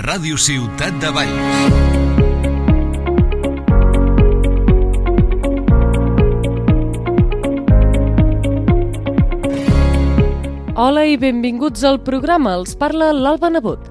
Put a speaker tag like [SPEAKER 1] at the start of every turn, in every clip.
[SPEAKER 1] Ràdio Ciutat de Valls.
[SPEAKER 2] Hola i benvinguts al programa. Els parla l'Alba Nebot.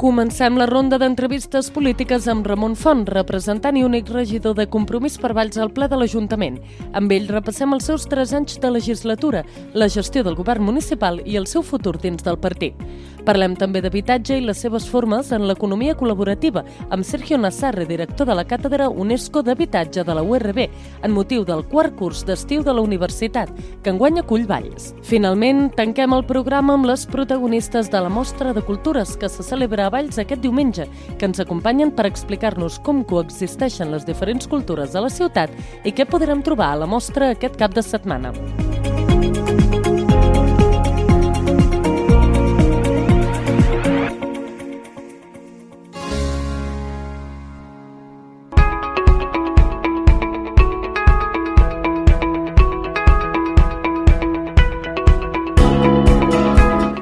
[SPEAKER 2] Comencem la ronda d'entrevistes polítiques amb Ramon Font, representant i únic regidor de Compromís per Valls al ple de l'Ajuntament. Amb ell repassem els seus 3 anys de legislatura, la gestió del govern municipal i el seu futur dins del partit. Parlem també d'habitatge i les seves formes en l'economia col·laborativa, amb Sergio Nassarre, director de la Càtedra UNESCO d'Habitatge de la URB, en motiu del 4è curs d'estiu de la universitat, que enguany acull Valls. Finalment, tanquem el programa amb les protagonistes de la Mostra de Cultures que se celebra a Valls aquest diumenge, que ens acompanyen per explicar-nos com coexisteixen les diferents cultures de la ciutat i què podrem trobar a la mostra aquest cap de setmana.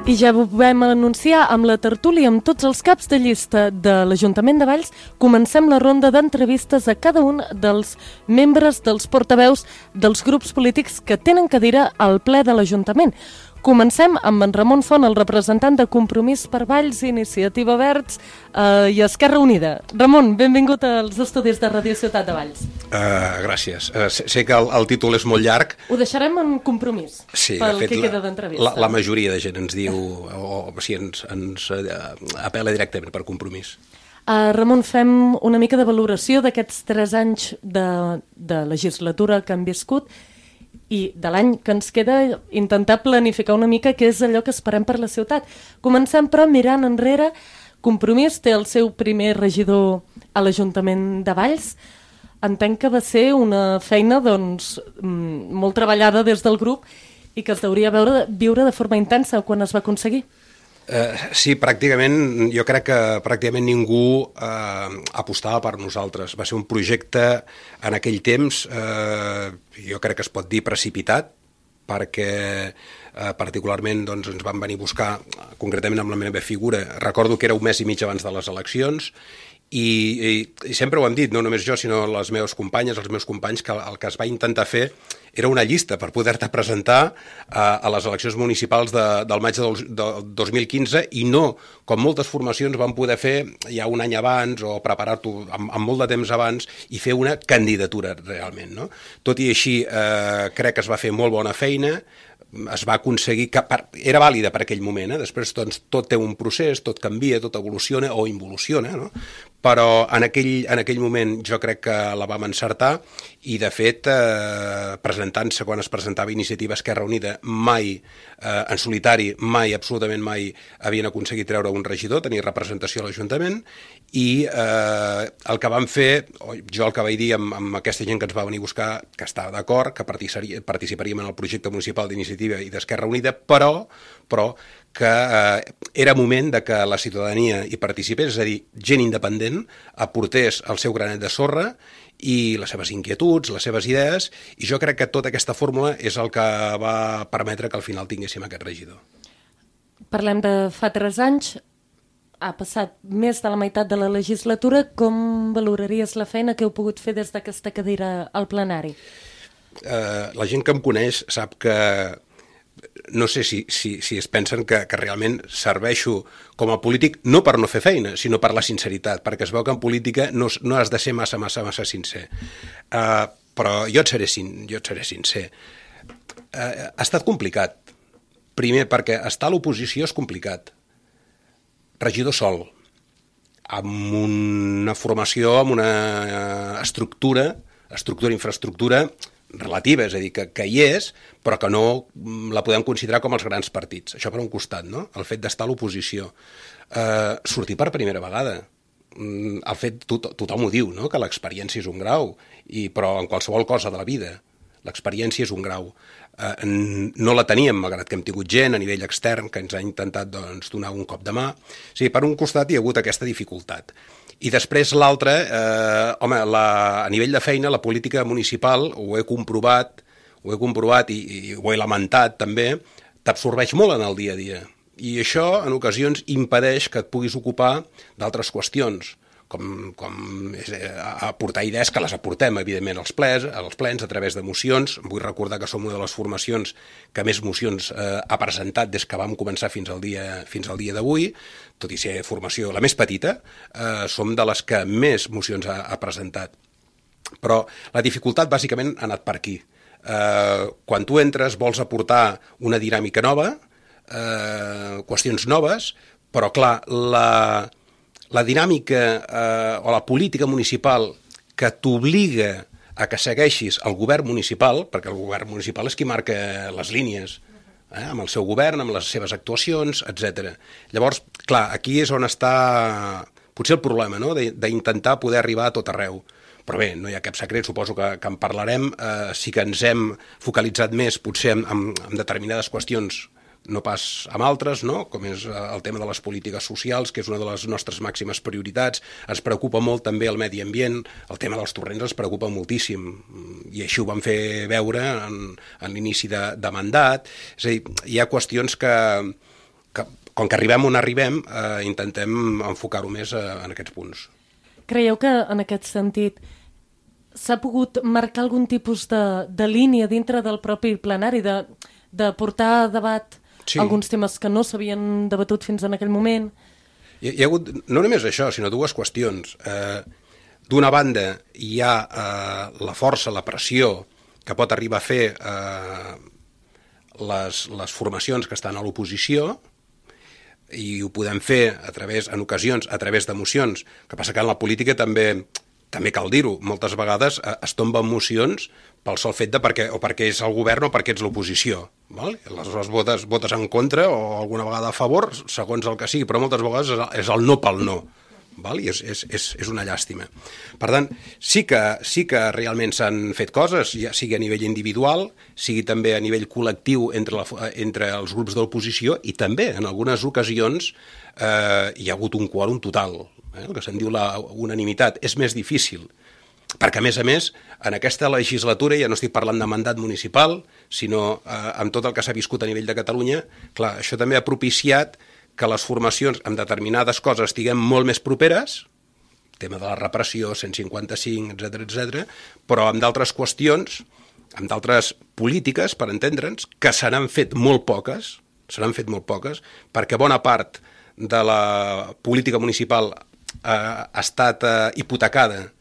[SPEAKER 2] I ja ho vam anunciar amb la tertúlia amb tots els caps de llista de l'Ajuntament de Valls. Comencem la ronda d'entrevistes a cada un dels membres dels portaveus dels grups polítics que tenen cadira al ple de l'Ajuntament. Comencem amb en Ramon Font, el representant de Compromís per Valls, Iniciativa Verds i Esquerra Unida. Ramon, benvingut als estudis de Ràdio Ciutat de Valls.
[SPEAKER 3] Gràcies. Sé que el títol és molt llarg.
[SPEAKER 2] Ho deixarem en Compromís,
[SPEAKER 3] sí,
[SPEAKER 2] pel
[SPEAKER 3] fet,
[SPEAKER 2] que queda d'entrevista.
[SPEAKER 3] La majoria de gent ens diu, o sigui, ens apel·la directament per Compromís.
[SPEAKER 2] Ramon, fem una mica de valoració d'aquests 3 anys de legislatura que han viscut i de l'any que ens queda, intentar planificar una mica què és allò que esperem per la ciutat. Comencem, però, mirant enrere. Compromís té el seu primer regidor a l'Ajuntament de Valls. Entenc que va ser una feina molt treballada des del grup i que es deuria viure de forma intensa quan es va aconseguir.
[SPEAKER 3] Sí, pràcticament, jo crec que pràcticament ningú apostava per nosaltres. Va ser un projecte en aquell temps, jo crec que es pot dir precipitat, perquè particularment ens van venir a buscar, concretament amb la meva figura. Recordo que era un mes i mig abans de les eleccions, i sempre ho hem dit, no només jo, sinó les meves companyes, els meus companys, que el que es va intentar fer era una llista per poder-te presentar a les eleccions municipals del maig del 2015 i no, com moltes formacions van poder fer ja un any abans o preparar-t'ho amb molt de temps abans i fer una candidatura realment, no? Tot i així, crec que es va fer molt bona feina, es va aconseguir, que era vàlida per aquell moment, després tot té un procés, tot canvia, tot evoluciona o involuciona, no? Però en aquell moment jo crec que la vam encertar i de fet presentant-se quan es presentava Iniciativa Esquerra Unida mai en solitari, absolutament mai havien aconseguit treure un regidor, tenir representació a l'Ajuntament i el que vam fer, jo el que vaig dir amb aquesta gent que ens va venir a buscar, que estava d'acord, que participaríem en el projecte municipal d'Iniciativa i d'Esquerra Unida, però que era moment de que la ciutadania hi participés, és a dir, gent independent aportés el seu granet de sorra i les seves inquietuds, les seves idees, i jo crec que tota aquesta fórmula és el que va permetre que al final tinguéssim aquest regidor.
[SPEAKER 2] Parlem de fa 3 anys, ha passat més de la meitat de la legislatura. Com valoraries la feina que heu pogut fer des d'aquesta cadira al plenari?
[SPEAKER 3] La gent que em coneix sap que no sé si es pensen que realment serveixo com a polític no per no fer feina, sinó per la sinceritat, perquè es veu que en política no has de ser massa sincer. Però jo et seré sincer. Ha estat complicat. Primer, perquè estar a l'oposició és complicat. Regidor sol, amb una formació, amb una infraestructura relativa, és a dir, que hi és, però que no la podem considerar com els grans partits. Això per un costat, no? El fet d'estar a l'oposició. Sortir per primera vegada. El fet, tothom ho diu, no?, que l'experiència és un grau, però en qualsevol cosa de la vida l'experiència és un grau. No la teníem, malgrat que hem tingut gent a nivell extern que ens ha intentat donar un cop de mà. O sigui, per un costat hi ha hagut aquesta dificultat. I després l'altre, a nivell de feina, la política municipal, ho he comprovat i ho he lamentat també, t'absorbeix molt en el dia a dia. I això, en ocasions, impedeix que et puguis ocupar d'altres qüestions, com aportar idees que les aportem, evidentment, als plens, a través de mocions. Vull recordar que som una de les formacions que més mocions ha presentat des que vam començar fins al dia d'avui, tot i ser formació la més petita, som de les que més mocions ha presentat. Però la dificultat, bàsicament, ha anat per aquí. Quan tu entres vols aportar una dinàmica nova, qüestions noves, però, clar, la dinàmica o la política municipal que t'obliga a que segueixis el govern municipal, perquè el govern municipal és qui marca les línies, amb el seu govern, amb les seves actuacions, etc. Llavors, clar, aquí és on està potser el problema, no? D'intentar poder arribar a tot arreu. Però bé, no hi ha cap secret, suposo que en parlarem. Sí que ens hem focalitzat més potser en determinades qüestions, no pas amb altres, no? Com és el tema de les polítiques socials, que és una de les nostres màximes prioritats. Ens preocupa molt també el medi ambient, el tema dels torrents ens preocupa moltíssim, i així ho vam fer veure en l'inici de mandat. És a dir, hi ha qüestions que com que arribem on arribem, intentem enfocar-ho més en aquests punts.
[SPEAKER 2] Creieu que, en aquest sentit, s'ha pogut marcar algun tipus de línia dintre del propi plenari, de portar a debat alguns temes que no s'havien debatut fins en aquell moment?
[SPEAKER 3] Hi ha hagut no només això, sinó dues qüestions. D'una banda, hi ha la força, la pressió que pot arribar a fer les formacions que estan a l'oposició, i ho podem fer en ocasions a través de mocions. El que passa que en la política també cal dir-ho, moltes vegades es tomben mocions pel sol fet de perquè és el govern o perquè ets l'oposició. Aleshores votes en contra o alguna vegada a favor, segons el que sigui, però moltes vegades és el no pel no. I és una llàstima. Per tant, sí que realment s'han fet coses, ja sigui a nivell individual, sigui també a nivell col·lectiu entre els grups de l'oposició, i també en algunes ocasions hi ha hagut un quòrum total, el que se'n diu la unanimitat. És més difícil, perquè a més, en aquesta legislatura, ja no estic parlant de mandat municipal, sinó amb tot el que s'ha viscut a nivell de Catalunya, clar, això també ha propiciat que les formacions amb determinades coses estiguem molt més properes, tema de la repressió, 155, etc., però amb d'altres qüestions, amb d'altres polítiques, per entendre'ns, que se n'han fet molt poques, perquè bona part de la política municipal ha estat hipotecada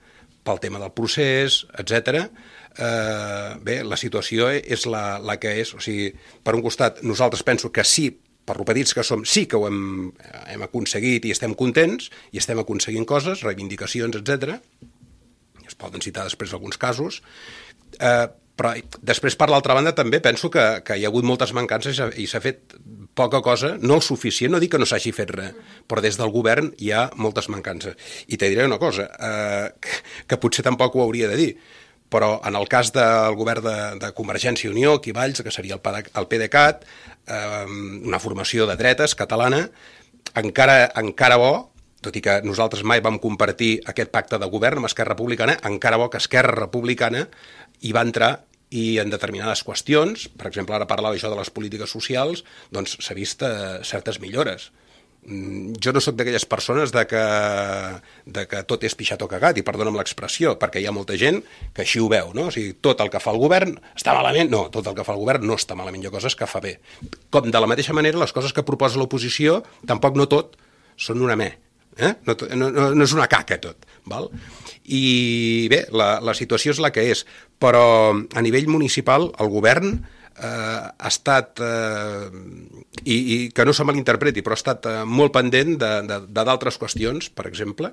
[SPEAKER 3] pel tema del procés, etc. Bé, la situació és la que és. O sigui, per un costat, nosaltres penso que sí, per lo petits que som, sí que ho hem aconseguit i estem contents, i estem aconseguint coses, reivindicacions, etc. Es poden citar després alguns casos, però després, per l'altra banda, també penso que hi ha hagut moltes mancances i s'ha fet poca cosa, no el suficient, no dic que no s'hagi fet res, però des del govern hi ha moltes mancances. I te diré una cosa, que potser tampoc ho hauria de dir, però en el cas del govern de Convergència i Unió, aquí a Valls, que seria el PDeCAT, una formació de dretes catalana, encara bo, tot i que nosaltres mai vam compartir aquest pacte de govern amb Esquerra Republicana, encara bo que Esquerra Republicana hi va entrar, i en determinades qüestions, per exemple, ara parlava això de les polítiques socials, doncs s'ha vist certes millores. Jo no sóc d'aquelles persones de que tot és pixat o cagat, i perdona'm l'expressió, perquè hi ha molta gent que així ho veu, no? O sigui, tot el que fa el govern està malament. No, tot el que fa el govern no està malament, hi ha coses que fa bé. Com de la mateixa manera, les coses que proposa l'oposició, tampoc no tot són una me. No és una caca tot, val? I bé, la situació és la que és, però a nivell municipal el govern ha estat, i que no se malinterpreti, però ha estat molt pendent d'altres qüestions, per exemple,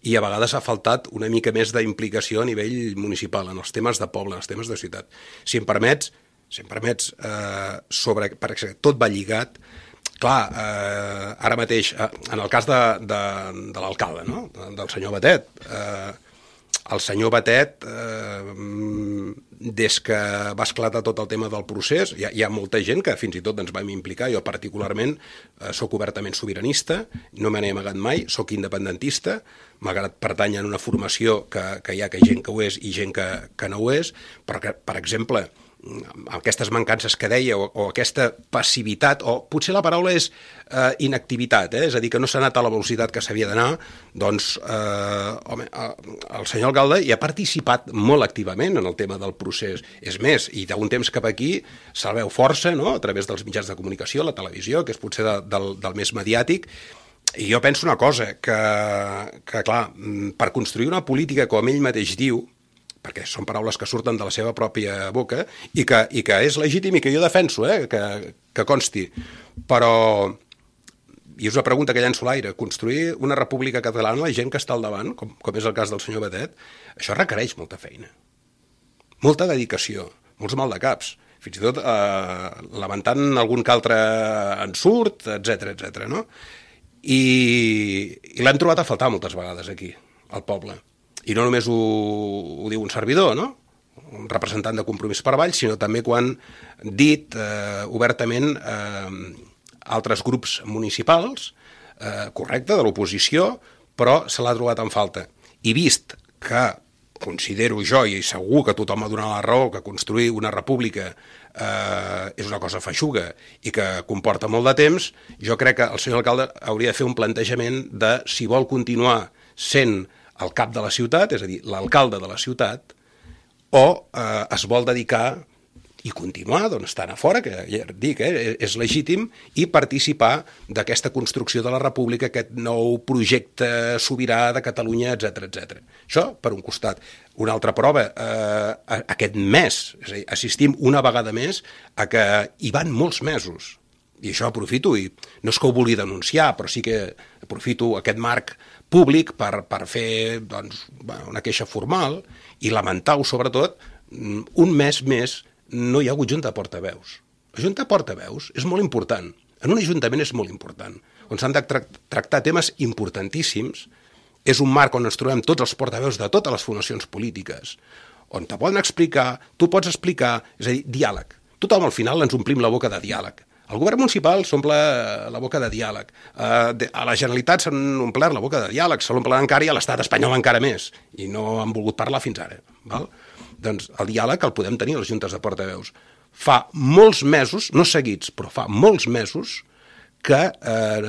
[SPEAKER 3] i a vegades ha faltat una mica més d'implicació a nivell municipal, en els temes de poble, en els temes de ciutat. Si em permets, perquè tot va lligat. Clar, ara mateix, en el cas de l'alcalde, no? Del senyor Batet, el senyor Batet, des que va esclatar tot el tema del procés, hi ha molta gent que fins i tot ens vam implicar. Jo particularment sóc obertament sobiranista, no me n'he amagat mai, sóc independentista, malgrat pertany a una formació que hi ha gent que ho és i gent que no ho és, però que, per exemple, aquestes mancances que deia, o aquesta passivitat, o potser la paraula és inactivitat, és a dir, que no s'ha anat a la velocitat que s'havia d'anar, doncs, el senyor alcalde hi ha participat molt activament en el tema del procés. És més, i d'un temps cap aquí se'l veu força, no?, a través dels mitjans de comunicació, la televisió, que és potser del més mediàtic. I jo penso una cosa, que clar, per construir una política, com ell mateix diu, perquè són paraules que surten de la seva pròpia boca, i que és legítim i que jo defenso, que consti, però, i és una pregunta que llenço a l'aire, construir una república catalana, la gent que està al davant, com és el cas del senyor Batet, això requereix molta feina, molta dedicació, molts maldecaps, fins i tot lamentant algun que altre ensurt, etc., no? I l'hem trobat a faltar moltes vegades aquí, al poble. I no només ho diu un servidor, no?, un representant de Compromís per Valls, sinó també quan dit obertament altres grups municipals, correcte, de l'oposició, però se l'ha trobat en falta. I vist que considero jo, i segur que tothom ha donat la raó, que construir una república és una cosa feixuga i que comporta molt de temps, jo crec que el senyor alcalde hauria de fer un plantejament de si vol continuar sent el cap de la ciutat, és a dir, l'alcalde de la ciutat, o es vol dedicar i continuar estant a fora, que ja dic, és legítim, i participar d'aquesta construcció de la república, aquest nou projecte sobirà de Catalunya, etc. Això, per un costat. Una altra prova, aquest mes, és a dir, assistim una vegada més a que hi van molts mesos. I això aprofito, i no és que ho vulgui denunciar, però sí que aprofito aquest marc públic per fer una queixa formal i lamentar-ho, sobretot, un mes més no hi ha hagut junta de portaveus. La junta de portaveus és molt important. En un ajuntament és molt important. On s'han de tractar temes importantíssims. És un marc on ens trobem tots els portaveus de totes les formacions polítiques, on te poden explicar, tu pots explicar, és a dir, diàleg. Tothom al final ens omplim la boca de diàleg. El govern municipal s'omple la boca de diàleg. A la Generalitat s'han omplert la boca de diàleg, se l'omplen encara, i a l'Estat espanyol encara més. I no han volgut parlar fins ara. Val? Doncs el diàleg el podem tenir a les juntes de portaveus. Fa molts mesos, no seguits, però fa molts mesos que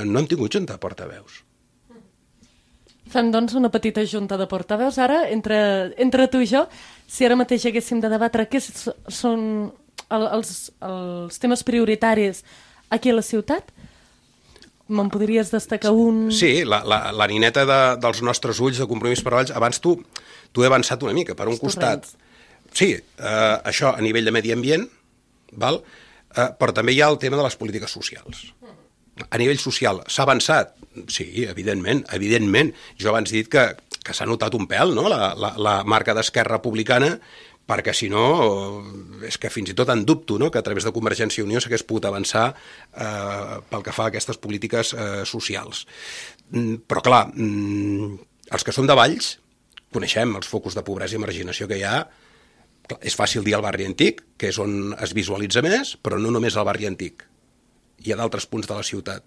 [SPEAKER 3] no hem tingut junta de portaveus.
[SPEAKER 2] Fem, doncs, una petita junta de portaveus ara, entre tu i jo. Si ara mateix haguéssim de debatre què són els temes prioritaris aquí a la ciutat, me'n podries destacar un? Sí,
[SPEAKER 3] la nineta dels nostres ulls de Compromís per Valls. Abans tu he avançat una mica. Per un costat, sí, això a nivell de medi ambient, val? Però també hi ha el tema de les polítiques socials. A nivell social s'ha avançat? Sí, evidentment. Jo abans he dit que s'ha notat un pèl, no?, la marca d'Esquerra Republicana, perquè si no, és que fins i tot en dubto, no?, que a través de Convergència i Unió s'hagués pogut avançar pel que fa a aquestes polítiques socials. Però clar, els que som de Valls coneixem els focus de pobresa i marginació que hi ha. És fàcil dir el barri antic, que és on es visualitza més, però no només el barri antic. Hi ha d'altres punts de la ciutat.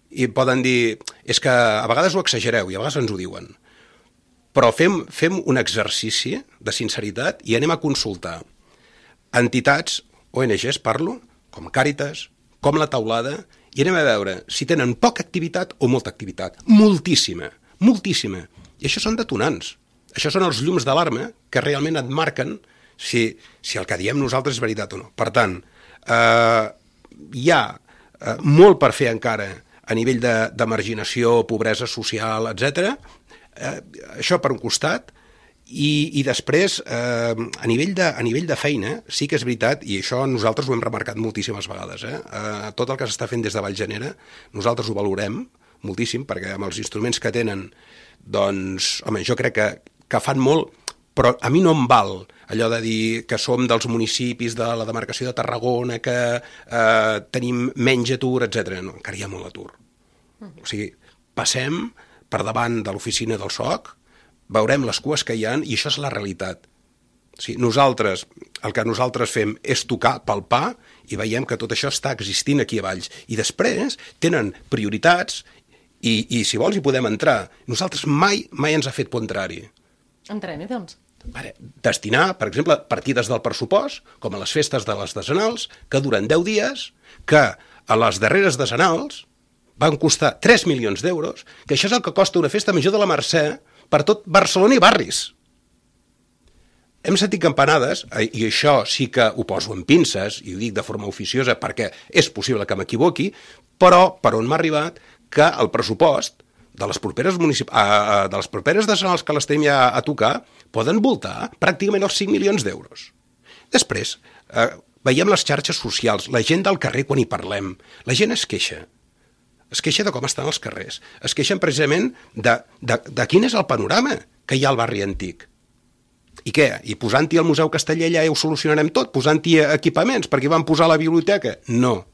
[SPEAKER 3] I poden dir, és que a vegades ho exagereu, i a vegades ens ho diuen. Però fem un exercici de sinceritat i anem a consultar entitats, ONGs parlo, com Càritas, com La Taulada, i anem a veure si tenen poca activitat o molta activitat. Moltíssima. I això són detonants. Això són els llums d'alarma que realment et marquen si el que diem nosaltres és veritat o no. Per tant, hi ha molt per fer encara a nivell de marginació, pobresa social, etc. Això per un costat, i després, a nivell de feina, sí que és veritat, i això nosaltres ho hem remarcat moltíssimes vegades, tot el que s'està fent des de Vallgenera, nosaltres ho valorem moltíssim, perquè amb els instruments que tenen, doncs, home, jo crec que fan molt, però a mi no em val allò de dir que som dels municipis de la demarcació de Tarragona, que tenim menys atur, etc. No, encara hi ha molt atur. O sigui, passem per davant de l'oficina del SOC, veurem les cues que hi ha, i això és la realitat. O sigui, el que nosaltres fem és tocar, palpar, i veiem que tot això està existint aquí a Valls. I després tenen prioritats, i si vols hi podem entrar. Nosaltres mai ens ha fet por entrar-hi.
[SPEAKER 2] Entrem-hi, doncs.
[SPEAKER 3] destinar, per exemple, partides del pressupost, com a les festes de les decenals, que duren 10 dies, que a les darreres decenals van costar 3 milions d'euros, que això és el que costa una festa major de la Mercè per tot Barcelona i barris. Hem sentit campanades, i això sí que ho poso en pinces, i ho dic de forma oficiosa perquè és possible que m'equivoqui, però per on m'ha arribat que el pressupost de les properes decenals que les tenim ja a tocar poden voltar pràcticament els 5 milions d'euros. Després, veiem les xarxes socials, la gent del carrer quan hi parlem, la gent es queixa de com estan els carrers, es queixen precisament de quin és el panorama que hi ha al barri antic. I què? I posant-hi el Museu Casteller ja ho solucionarem tot? Posant-hi equipaments perquè van posar la biblioteca? No.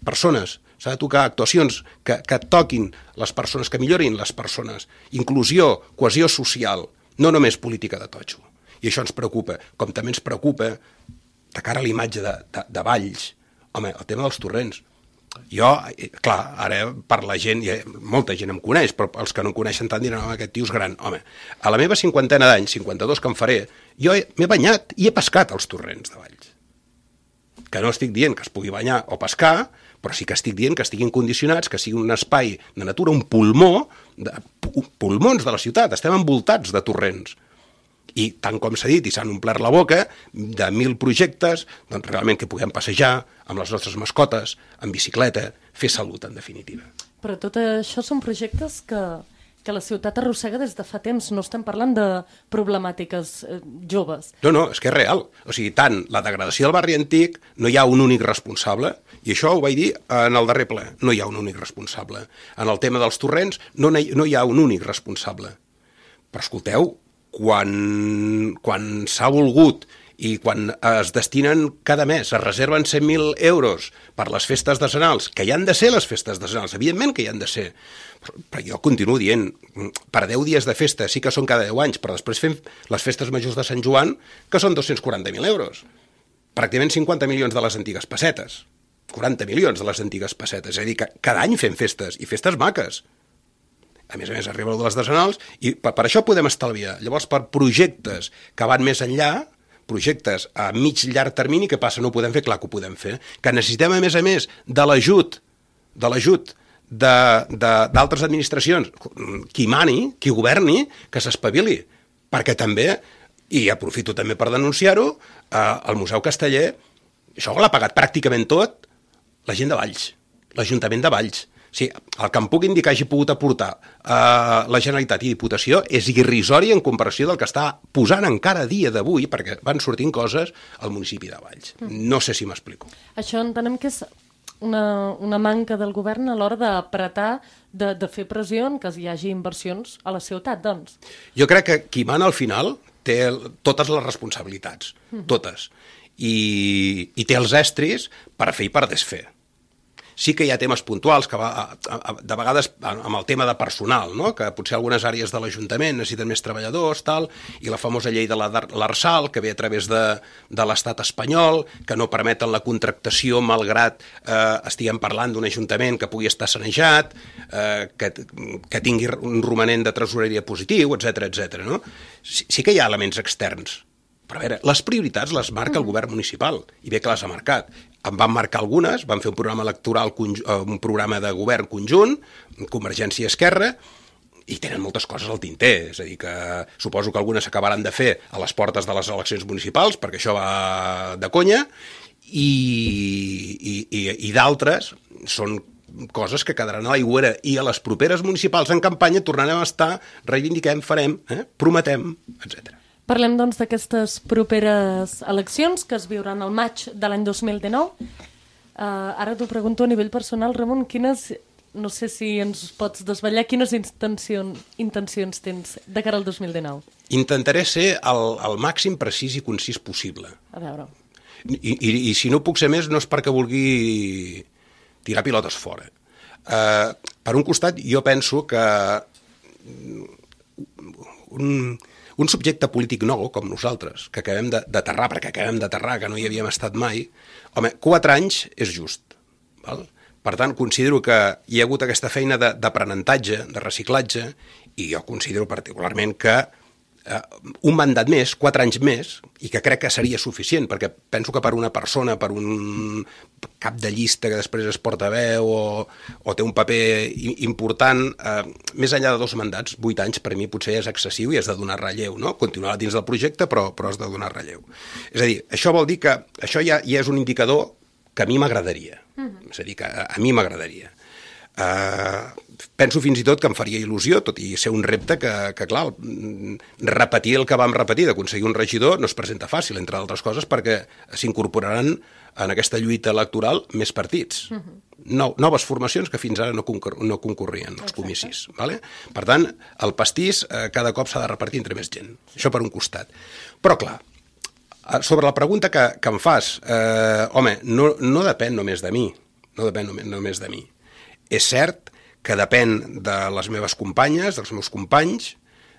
[SPEAKER 3] Persones, s'ha de tocar actuacions que toquin les persones, que millorin les persones. Inclusió, cohesió social, no només política de totxo. I això ens preocupa, com també ens preocupa de cara a la imatge de Valls. Home, el tema dels torrents. Jo, clar, ara per la gent, molta gent em coneix, però els que no em coneixen tant diran, home, aquest tio és gran. Home, a la meva 50 d'anys, 52 que em faré, jo m'he banyat i he pescat als torrents de Valls. Que no estic dient que es pugui banyar o pescar, però sí que estic dient que estiguin condicionats, que sigui un espai de natura, un pulmó, pulmons de la ciutat, estem envoltats de torrents. I tant com s'ha dit, i s'han omplert la boca de 1.000 projectes, doncs realment que puguem passejar amb les nostres mascotes, en bicicleta, fer salut, en definitiva.
[SPEAKER 2] Però tot això són projectes que la ciutat arrossega des de fa temps. No estem parlant de problemàtiques joves.
[SPEAKER 3] No, és que és real. O sigui, tant la degradació del barri antic, no hi ha un únic responsable, i això ho vaig dir en el darrer ple, no hi ha un únic responsable. En el tema dels torrents no hi ha un únic responsable. Però escolteu, quan s'ha volgut i quan es destinen cada mes, es reserven 100.000 euros per les festes decenals, que hi han de ser les festes decenals, evidentment que hi han de ser, però jo continuo dient, per 10 dies de festa sí que són cada 10 anys, però després fem les festes majors de Sant Joan, que són 240.000 euros, pràcticament 50 milions de les antigues pessetes, 40 milions de les antigues pessetes, és a dir, que cada any fem festes, i festes maques. A més, arriba de les decenals, i per això podem estalviar. Llavors, per projectes que van més enllà, projectes a mig llarg termini, què passa? No ho podem fer? Clar que ho podem fer. Que necessitem, a més, de l'ajut d'altres administracions, qui mani, qui governi, que s'espavili. Perquè també, i aprofito també per denunciar-ho, el Museu Casteller, això l'ha pagat pràcticament tot la gent de Valls, l'Ajuntament de Valls. Sí, el que em puc indicar hagi pogut aportar la Generalitat i Diputació és irrisori en comparació del que està posant encara a dia d'avui, perquè van sortint coses al municipi de Valls. No sé si m'explico.
[SPEAKER 2] Això entenem que és una manca del govern a l'hora d'apretar, de fer pressió en que hi hagi inversions a la ciutat, doncs.
[SPEAKER 3] Jo crec que qui mana al final té totes les responsabilitats, totes, i té els estris per fer i per desfer. Sí que hi ha temes puntuals, que de vegades amb el tema de personal, no? Que potser algunes àrees de l'Ajuntament necessiten més treballadors, tal, i la famosa llei de l'Arsal, que ve a través de l'estat espanyol, que no permeten la contractació malgrat estiguem parlant d'un ajuntament que pugui estar sanejat, que tingui un romanent de tresoreria positiu, etc. No? Sí que hi ha elements externs. Però a veure, les prioritats les marca el govern municipal, i bé que les ha marcat. En van marcar algunes, van fer un programa electoral, un programa de govern conjunt, Convergència i Esquerra, i tenen moltes coses al tinter, és a dir, que suposo que algunes s'acabaran de fer a les portes de les eleccions municipals, perquè això va de conya, i d'altres són coses que quedaran a l'aigüera, i a les properes municipals en campanya tornarem a estar, reivindiquem, farem, prometem, etc.
[SPEAKER 2] Parlem, doncs, d'aquestes properes eleccions que es viuran al maig de l'any 2019. Ara t'ho pregunto a nivell personal, Ramon, no sé si ens pots desvetllar, quines intencions tens de cara al 2019?
[SPEAKER 3] Intentaré ser el màxim precís i concís possible.
[SPEAKER 2] A veure.
[SPEAKER 3] I si no puc ser més, no és perquè vulgui tirar pilotes fora. Per un costat, jo penso que un subjecte polític nou, com nosaltres, que acabem d'aterrar, perquè acabem d'aterrar, que no hi havíem estat mai, home, 4 anys és just. Val? Per tant, considero que hi ha hagut aquesta feina d'aprenentatge, de reciclatge, i jo considero particularment que un mandat més, 4 anys més, i que crec que seria suficient, perquè penso que per una persona, per un cap de llista que després es portaveu o té un paper important, més enllà de 2 mandats, 8 anys per mi potser és excessiu i has de donar relleu, no? Continuar dins del projecte, però has de donar relleu. És a dir, això vol dir que això ja és un indicador que a mi m'agradaria. És a dir, que a mi m'agradaria. Penso fins i tot que em faria il·lusió, tot i ser un repte que clar, repetir el que vam repetir d'aconseguir un regidor no es presenta fàcil, entre altres coses, perquè s'incorporaran en aquesta lluita electoral més partits. Noves formacions que fins ara no concorrien als comicis. Vale? Per tant, el pastís cada cop s'ha de repartir entre més gent. Això per un costat. Però clar, sobre la pregunta que em fas, home, no depèn només de mi. No depèn només de mi. És cert que depèn de les meves companyes, dels meus companys,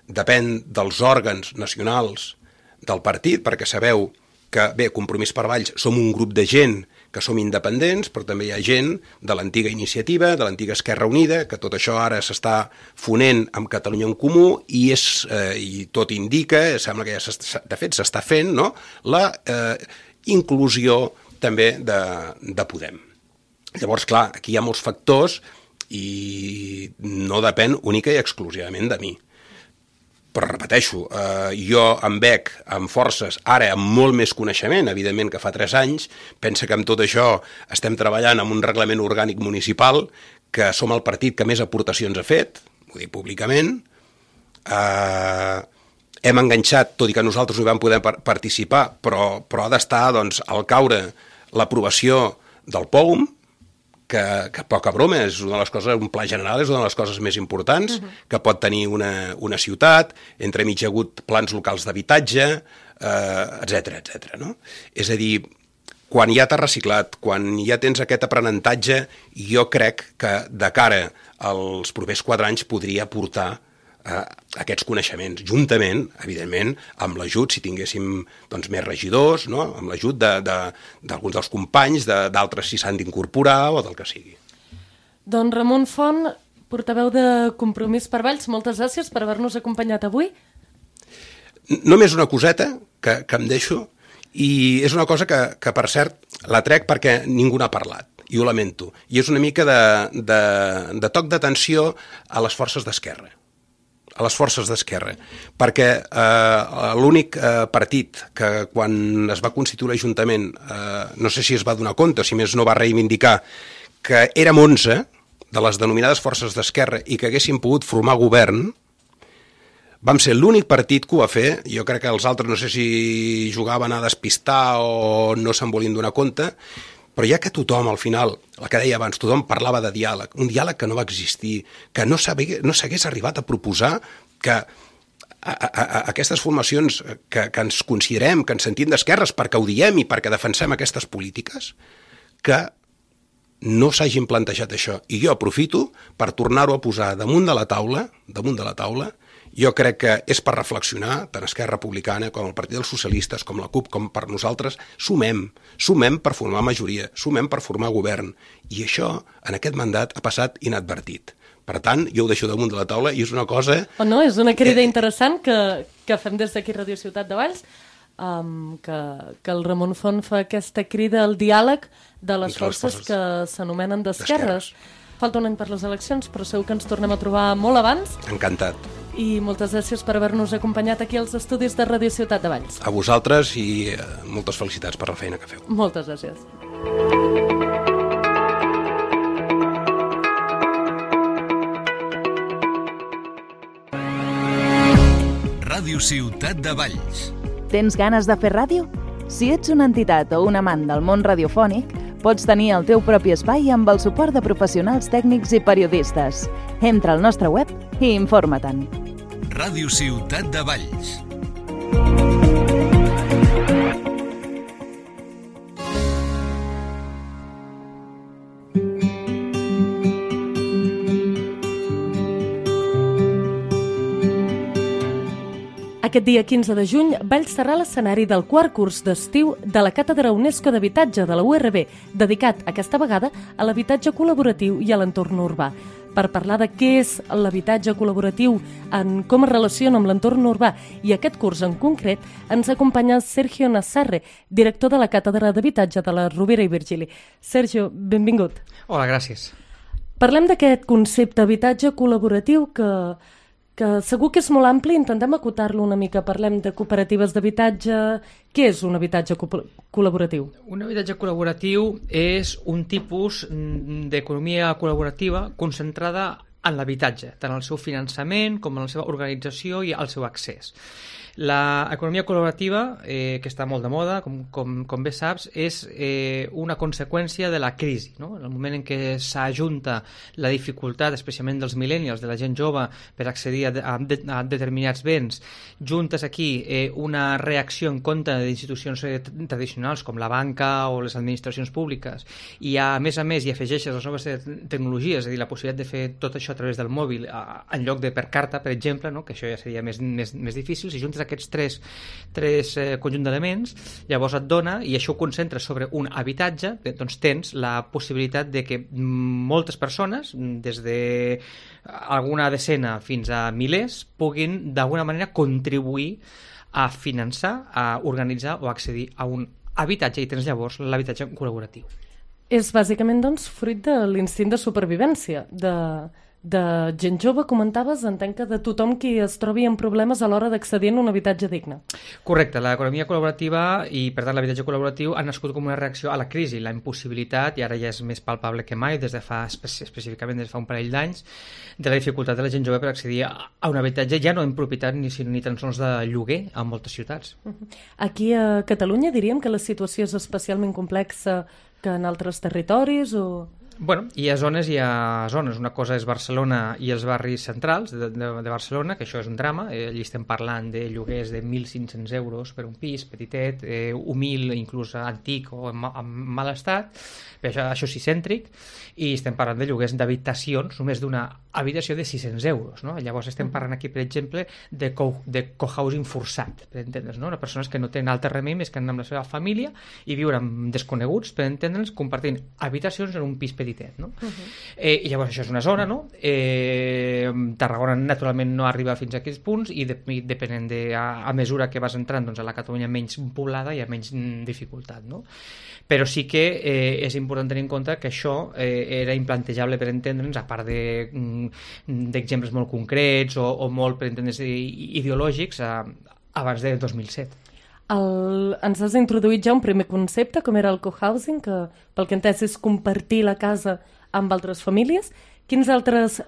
[SPEAKER 3] depèn dels òrgans nacionals del partit, perquè sabeu que, bé, Compromís per Valls som un grup de gent que som independents, però també hi ha gent de l'antiga Iniciativa, de l'antiga Esquerra Unida, que tot això ara s'està fonent amb Catalunya en Comú i tot indica, sembla que ja de fet s'està fent, no?, la inclusió també de Podem. Llavors, clar, aquí hi ha molts factors i no depèn única i exclusivament de mi. Però repeteixo, jo em veig amb forces, ara amb molt més coneixement, evidentment que fa 3 anys, pensa que amb tot això estem treballant amb un reglament orgànic municipal, que som el partit que més aportacions ha fet, ho dic públicament, hem enganxat, tot i que nosaltres no hi vam poder participar, però ha d'estar doncs, al caure l'aprovació del POUM, que poca broma, és una de les coses, un pla general és una de les coses més importants que pot tenir una ciutat, entremig hi ha hagut plans locals d'habitatge, etc. No? És a dir, quan ja t'has reciclat, quan ja tens aquest aprenentatge, jo crec que de cara als propers 4 anys podria aportar aquests coneixements, juntament, evidentment, amb l'ajut, si tinguéssim doncs, més regidors, no? Amb l'ajut d'alguns dels companys, d'altres si s'han d'incorporar o del que sigui.
[SPEAKER 2] Doncs Ramon Font, portaveu de Compromís per Valls, moltes gràcies per haver-nos acompanyat avui.
[SPEAKER 3] Només una coseta que em deixo, i és una cosa que per cert, la trec perquè ningú n'ha parlat, i ho lamento, i és una mica de toc d'atenció a les forces d'esquerra. Perquè l'únic partit que quan es va constituir l'Ajuntament, no sé si es va donar compte, si més no va reivindicar, que érem 11 de les denominades forces d'esquerra i que haguessin pogut formar govern, vam ser l'únic partit que ho va fer. Jo crec que els altres no sé si jugaven a despistar o no se'n volien donar compte, però ja que tothom, al final, el que deia abans, tothom parlava de diàleg, un diàleg que no va existir, que no s'hagués arribat a proposar que aquestes formacions que ens considerem, que ens sentim d'esquerres perquè ho diem i perquè defensem aquestes polítiques, que no s'hagin plantejat això. I jo aprofito per tornar-ho a posar damunt de la taula, jo crec que és per reflexionar, tant Esquerra Republicana com el Partit dels Socialistes, com la CUP, com per nosaltres, sumem per formar majoria, sumem per formar govern. I això, en aquest mandat, ha passat inadvertit. Per tant, jo ho deixo damunt de la taula i és una cosa...
[SPEAKER 2] O no, és una crida interessant que fem des d'aquí Ràdio Ciutat de Valls, que el Ramon Font fa aquesta crida al diàleg de les forces que s'anomenen d'esquerres. Falta un any per les eleccions, però segur que ens tornem a trobar molt abans.
[SPEAKER 3] Encantat.
[SPEAKER 2] I moltes gràcies per haver-nos acompanyat aquí als estudis de Ràdio Ciutat de Valls.
[SPEAKER 3] A vosaltres i moltes felicitats per la feina que feu.
[SPEAKER 2] Moltes gràcies.
[SPEAKER 1] Ràdio Ciutat de Valls.
[SPEAKER 4] Tens ganes de fer ràdio? Si ets una entitat o un amant del món radiofònic, pots tenir el teu propi espai amb el suport de professionals tècnics i periodistes. Entra al nostre web i informa-te'n.
[SPEAKER 1] Ràdio Ciutat de Valls.
[SPEAKER 2] Aquest dia 15 de juny, Valls serà l'escenari del 4è curs d'estiu de la Càtedra UNESCO d'Habitatge de la URB, dedicat aquesta vegada a l'habitatge col·laboratiu i a l'entorn urbà. per parlar de què és l'habitatge col·laboratiu, en com es relaciona amb l'entorn urbà i aquest curs en concret, ens acompanya Sergio Nassarre, director de la Càtedra d'Habitatge de la Rovira i Virgili. Sergio, benvingut.
[SPEAKER 5] Hola, gràcies.
[SPEAKER 2] Parlem d'aquest concepte habitatge col·laboratiu que segur que és molt ampli, intentem acotar-lo una mica. Parlem de cooperatives d'habitatge. Què és un habitatge col·laboratiu?
[SPEAKER 5] Un habitatge col·laboratiu és un tipus d'economia col·laborativa concentrada en l'habitatge, tant el seu finançament com en la seva organització i el seu accés. L'economia col·laborativa, que està molt de moda, com bé saps, és una conseqüència de la crisi, no? En el moment en què s'ajunta la dificultat, especialment dels millennials, de la gent jove, per accedir a determinats béns, juntes aquí una reacció en contra d'institucions tradicionals com la banca o les administracions públiques, i a més hi afegeixes les noves tecnologies, és a dir, la possibilitat de fer tot això a través del mòbil en lloc de per carta, per exemple, no? Que això ja seria més difícil. Si juntes aquests tres conjunt d'elements, llavors et dona, i això ho concentres sobre un habitatge, doncs tens la possibilitat de que moltes persones, des de alguna decena fins a milers, puguin d'alguna manera contribuir a finançar, a organitzar o a accedir a un habitatge, i tens llavors l'habitatge col·laboratiu.
[SPEAKER 2] És bàsicament, doncs, fruit de l'instint de supervivència, de gent jove, comentaves, entenc que de tothom qui es trobi en problemes a l'hora d'accedir a un habitatge digne.
[SPEAKER 5] Correcte, l'economia col·laborativa i, per tant, l'habitatge col·laboratiu han nascut com una reacció a la crisi, la impossibilitat, i ara ja és més palpable que mai, específicament des de fa un parell d'anys, de la dificultat de la gent jove per accedir a un habitatge, ja no en propietat ni tan sols de lloguer a moltes ciutats.
[SPEAKER 2] Aquí a Catalunya diríem que la situació és especialment complexa que en altres territoris o...
[SPEAKER 5] Bueno, hi ha zones. Una cosa és Barcelona i els barris centrals de Barcelona, que això és un drama. Allí estem parlant de lloguers de 1.500 euros per un pis petitet, humil, inclús antic o en mal estat, però això sí, cèntric, i estem parlant de lloguers d'habitacions, només d'una habitació de 600 euros. No? Llavors estem parlant aquí, per exemple, de cohousing forçat, per entendre's, no? Persones que no tenen altre remei més que anar amb la seva família i viure amb desconeguts, per entendre'ns, compartint habitacions en un pis petitet, no? I llavors això és una zona, no? Tarragona naturalment no arriba fins a aquests punts i depenent a mesura que vas entrant, doncs, a la Catalunya menys poblada hi ha menys dificultat, no? Però sí que és important tenir en compte que això era implantejable, per entendre'ns, a part d'exemples molt concrets o molt, per entendre'ns, ideològics abans de 2007.
[SPEAKER 2] Ens has introduït ja un primer concepte, com era el cohousing, que pel que he entès és compartir la casa amb altres famílies. Quines altres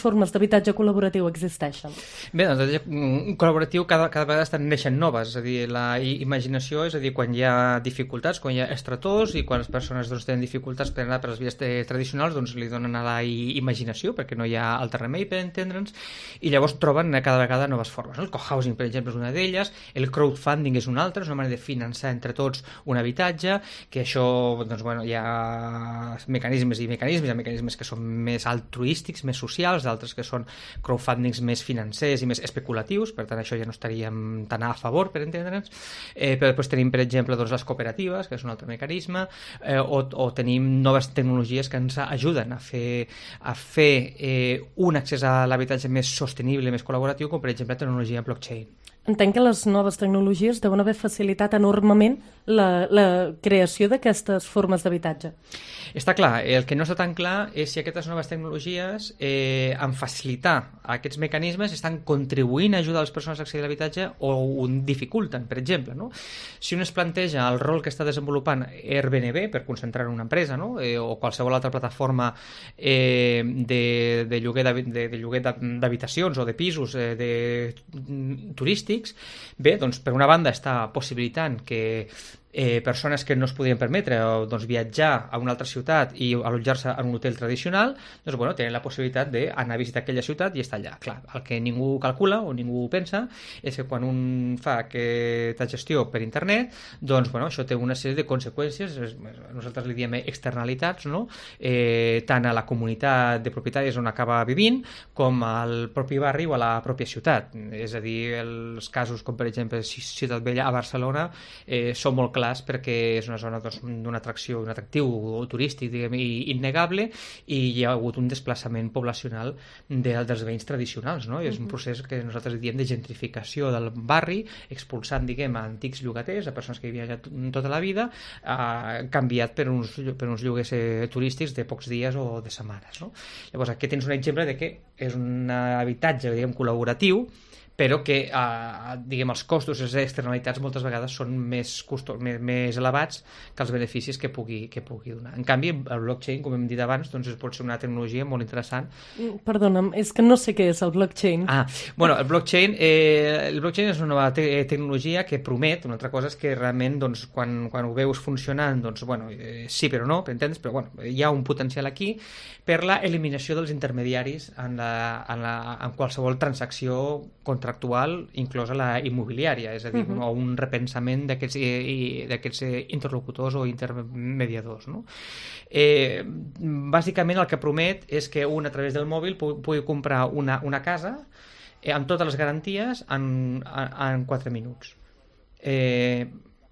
[SPEAKER 2] formes d'habitatge col·laboratiu existeixen?
[SPEAKER 5] Bé, doncs l'habitatge col·laboratiu cada vegada neixen noves, és a dir, la imaginació, és a dir, quan hi ha dificultats, quan hi ha estretors i quan les persones, doncs, tenen dificultats per anar per les vies tradicionals, doncs li donen a la imaginació, perquè no hi ha altre remei, per entendre'ns, i llavors troben cada vegada noves formes. El cohousing, per exemple, és una d'elles, el crowdfunding és una altra, és una manera de finançar entre tots un habitatge, que això, doncs, bueno, hi ha mecanismes que són més altruístics, més socials, d'altres que són crowdfundings més financers i més especulatius, per tant això ja no estaríem tan a favor, per entendre'ns, però després tenim, per exemple, doncs, les cooperatives, que és un altre mecanisme, o tenim noves tecnologies que ens ajuden a fer un accés a l'habitatge més sostenible, més col·laboratiu, com per exemple la tecnologia blockchain.
[SPEAKER 2] Entenc que les noves tecnologies deuen haver facilitat enormement la creació d'aquestes formes d'habitatge.
[SPEAKER 5] Està clar, el que no està tan clar és si aquestes noves tecnologies, en facilitar aquests mecanismes, estan contribuint a ajudar les persones a accedir a l'habitatge o ho dificulten, per exemple, no? Si un es planteja el rol que està desenvolupant Airbnb per concentrar en una empresa, no? O qualsevol altra plataforma de lloguer d'habitacions o de pisos turístics, bé, doncs per una banda està possibilitant que persones que no es podien permetre doncs, viatjar a una altra ciutat i allotjar-se en un hotel tradicional, doncs, bueno, tenen la possibilitat d'anar a visitar aquella ciutat i estar allà. Clar, el que ningú calcula o ningú pensa és que quan un fa aquesta gestió per internet, doncs, bueno, això té una sèrie de conseqüències, nosaltres li diem externalitats, no? Tant a la comunitat de propietaris on acaba vivint com al propi barri o a la pròpia ciutat. És a dir, els casos com per exemple Ciutat Vella a Barcelona són molt clars clars perquè és una zona d'una atracció, un atractiu turístic, diguem, innegable, i hi ha hagut un desplaçament poblacional dels veïns tradicionals, no? I és un procés que nosaltres diem de gentrificació del barri, expulsant, diguem, a antics llogaters, a persones que vivien allà tota la vida, canviat per uns lloguers turístics de pocs dies o de setmanes, no? Llavors aquí tens un exemple de que és un habitatge, diguem, col·laboratiu, però que diguem, els costos i les externalitats moltes vegades són més elevats que els beneficis que pugui donar. En canvi, el blockchain, com hem dit abans, doncs pot ser una tecnologia molt interessant.
[SPEAKER 2] Perdona'm, és que no sé què és el blockchain.
[SPEAKER 5] Bueno, el blockchain és una nova tecnologia que promet, una altra cosa és que realment, doncs, quan ho veus funcionant, doncs, bueno, sí però no, per entendre's, però bueno, hi ha un potencial aquí per la eliminació dels intermediaris en qualsevol transacció contractual, inclosa la immobiliària, és a dir, un repensament d'aquests interlocutors o intermediadors, no? Bàsicament el que promet és que un a través del mòbil pugui comprar una casa amb totes les garanties en 4 minuts.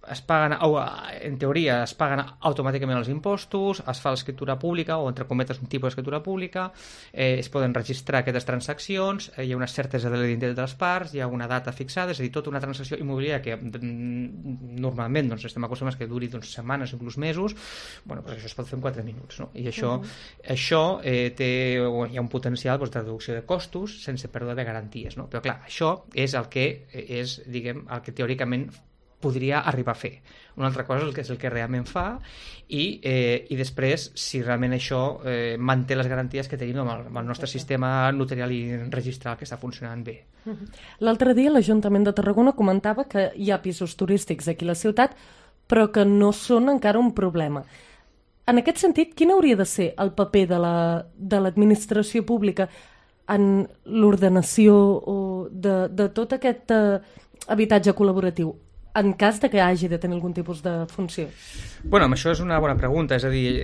[SPEAKER 5] Es paguen, en teoria es paguen automàticament els impostos, es fa l'escriptura pública o entre cometes un tipus d'escriptura pública, es poden registrar aquestes transaccions, hi ha una certesa de l'identitat de les parts, hi ha una data fixada, és a dir, tota una transacció immobiliària que normalment doncs, estem acostumats que duri setmanes, inclús mesos, bueno, doncs això es pot fer en 4 minuts, no? I això hi ha un potencial de reducció de costos sense pèrdua de garanties, no? Però clar, això és el que és, diguem, el que teòricament podria arribar a fer. Una altra cosa és el que realment fa i després, si realment això manté les garanties que tenim amb el nostre sistema notarial i registral que està funcionant bé.
[SPEAKER 2] L'altre dia l'Ajuntament de Tarragona comentava que hi ha pisos turístics aquí a la ciutat, però que no són encara un problema. En aquest sentit, quin hauria de ser el paper de l'administració pública en l'ordenació de tot aquest habitatge col·laboratiu, en cas de que hagi de tenir algun tipus de funció?
[SPEAKER 5] Bueno, això és una bona pregunta, és a dir,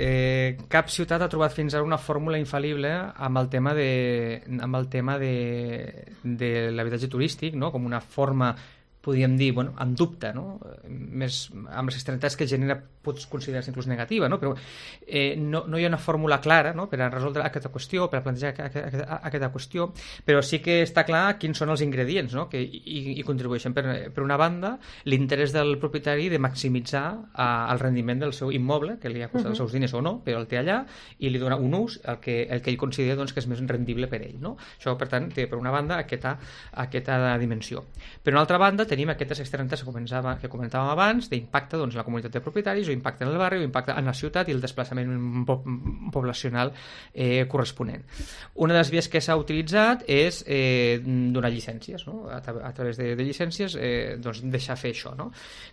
[SPEAKER 5] cap ciutat ha trobat fins ara una fórmula infal·lible amb el tema de l'habitatge turístic, no? Com una forma, podríem dir, bueno, amb dubte, no? Més amb les externalitats que genera pots considerar-se inclús negativa, no? Però no hi ha una fórmula clara, no? Per a resoldre aquesta qüestió, per a plantejar aquesta qüestió, però sí que està clar quins són els ingredients, no? Que hi contribueixen. Per una banda, l'interès del propietari de maximitzar el rendiment del seu immoble, que li ha costat els seus diners o no, però el té allà, i li dona un ús el que ell considera, doncs, que és més rendible per ell, no? Això, per tant, té per una banda aquesta dimensió. Per una altra banda, tenim aquestes externalitats que comentàvem abans, d'impacte, doncs, en la comunitat de propietaris, o impacte en el barri, o impacte en la ciutat i el desplaçament poblacional corresponent. Una de les vies que s'ha utilitzat és donar llicències, no? A través de llicències doncs deixar fer això, no?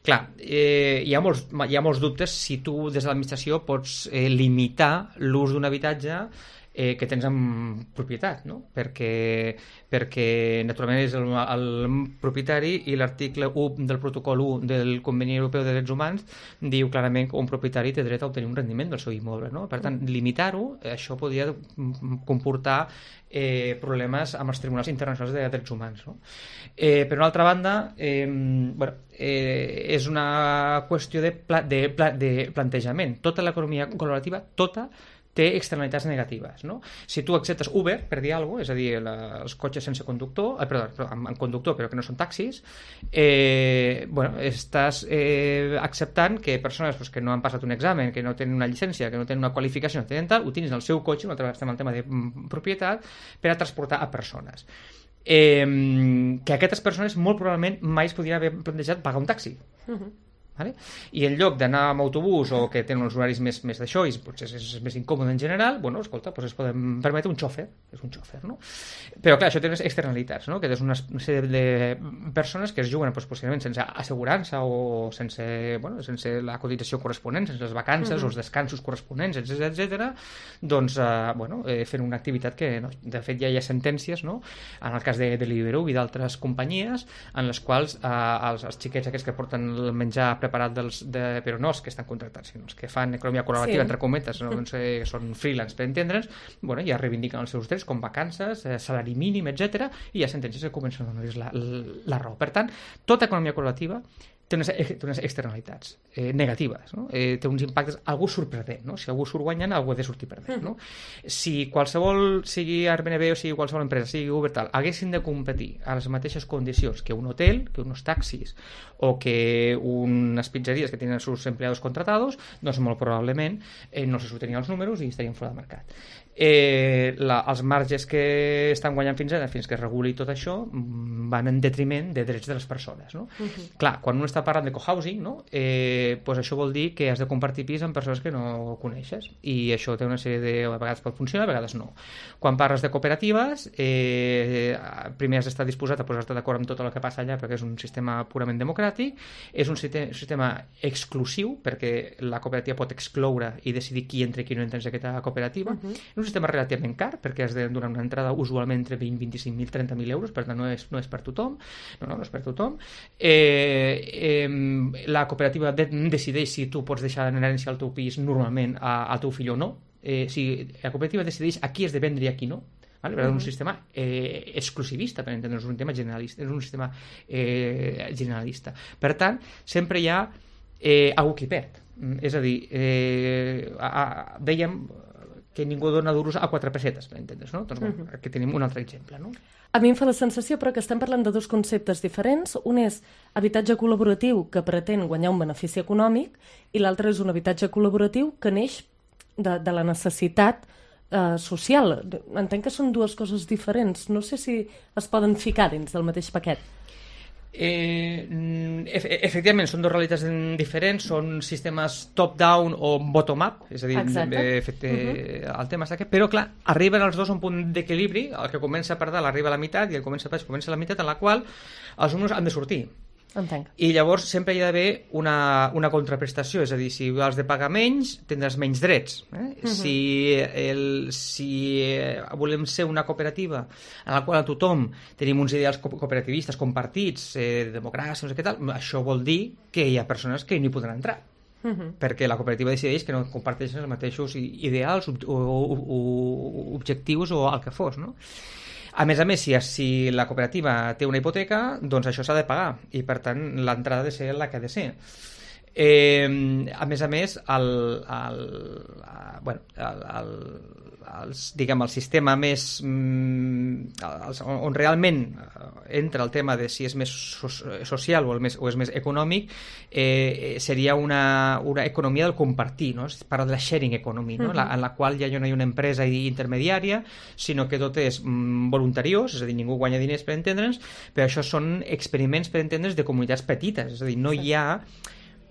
[SPEAKER 5] Clar, hi ha molts dubtes si tu des de l'administració pots limitar l'ús d'un habitatge que tens en propietat, no? Perquè naturalment és el propietari, i l'article 1 del protocol 1 del Conveni Europeu de Drets Humans diu clarament que un propietari té dret a obtenir un rendiment del seu immoble, no? Per tant, limitar-ho, això podria comportar problemes amb els tribunals internacionals de drets humans, no? Per una altra banda, és una qüestió de plantejament. Tota l'economia col·laborativa, té externalitats negatives, no? Si tu acceptes Uber, per dir alguna cosa, és a dir, els cotxes sense conductor, amb conductor però que no són taxis, estàs acceptant que persones que no han passat un examen, que no tenen una llicència, que no tenen una qualificació, no tenen tal, utilitzen el seu cotxe, una altra vegada estem al tema de propietat, per a transportar a persones. Que aquestes persones molt probablement mai es podrien haver plantejat pagar un taxi. Vale? I en lloc d'anar amb autobús o que tenen uns horaris més d'això i potser és més incòmode en general, bueno, escolta, doncs es poden permetre un xòfer, no? Però clar, això té unes externalitats, no? Que és una sèrie de persones que es juguen possiblement sense assegurança o sense la cotització corresponent, sense les vacances o els descansos corresponents, etc. Doncs, fent una activitat que, no, de fet, ja hi ha sentències, no? En el cas de Deliveroo i d'altres companyies en les quals els xiquets aquests que porten el menjar preparat però no els que estan contractats, sinó els que fan economia col·laborativa, entre cometes, no? Doncs, són freelance, per entendre'ns, ja reivindiquen els seus drets com vacances, salari mínim, etc. I hi ha sentències que comencen a donar-los la raó. Per tant, tota economia col·laborativa té unes externalitats negatives, no? Té uns impactes, algú surt perdent, no? Si algú surt guanyant, algú ha de sortir perdent, no? Si qualsevol, sigui Airbnb o sigui qualsevol empresa, sigui Uber, tal, haguessin de competir a les mateixes condicions que un hotel, que uns taxis o que unes pizzeries que tenen els seus empleados contratados, doncs molt probablement no se sortirien els números i estarien fora del mercat. Els marges que estan guanyant fins ara, fins que es reguli tot això, van en detriment de drets de les persones, no? Clar, quan un està parlant de cohousing, no? Pues això vol dir que has de compartir pis amb persones que no coneixes, i això té una sèrie de... a vegades pot funcionar, a vegades no. Quan parles de cooperatives, primer has d'estar disposat a posar-te d'acord amb tot el que passa allà, perquè és un sistema purament democràtic, és un sistema exclusiu, perquè la cooperativa pot excloure i decidir qui entra i qui no entra en aquesta cooperativa. És un sistema relativament car, perquè has de donar una entrada usualment entre 20, 25.000, 30.000 euros, per tant no és per tothom, no és per tothom. La cooperativa decideix si tu pots deixar en herència el teu pis normalment al teu fill o no. La cooperativa decideix a qui has de vendre i a qui no. Vale? És un sistema exclusivista, per entendre, és un tema generalista, és un sistema generalista. Per tant, sempre hi ha algú qui perd. És a dir, dèiem que ningú dona duros a 4 pessetes, per entendre's, no? Doncs aquí tenim un altre exemple, no?
[SPEAKER 2] A mi em fa la sensació, però, que estem parlant de dos conceptes diferents. Un és habitatge col·laboratiu que pretén guanyar un benefici econòmic i l'altre és un habitatge col·laboratiu que neix de la necessitat social. Entenc que són dues coses diferents. No sé si es poden ficar dins del mateix paquet.
[SPEAKER 5] Efectivament, són dues realitats diferents, són sistemes top-down o bottom-up, és a dir, el tema està aquí, però clar, arriben els dos a un punt d'equilibri, el que comença per dalt arriba a la meitat i el que comença per baix comença a la meitat, en la qual els números han de sortir.
[SPEAKER 2] Entenc.
[SPEAKER 5] I llavors sempre hi ha d'haver una contraprestació, és a dir, si has de pagar menys, tindràs menys drets. Si volem ser una cooperativa en la qual a tothom tenim uns ideals cooperativistes compartits, democràcia, no sé què tal, això vol dir que hi ha persones que no hi podran entrar. Perquè la cooperativa decideix que no comparteixen els mateixos ideals o objectius o el que fos, no? A més, si la cooperativa té una hipoteca, doncs això s'ha de pagar i, per tant, l'entrada ha de ser la que ha de ser. A més, el sistema més on realment entra el tema de si és més social o és més econòmic, seria una economia del compartir, no? Es parla de la sharing economy, no? En la qual ja no hi ha una empresa intermediària, sinó que tot és voluntariós, és a dir, ningú guanya diners, per entendre'ns, però això són experiments, per entendre'ns, de comunitats petites, és a dir, no hi ha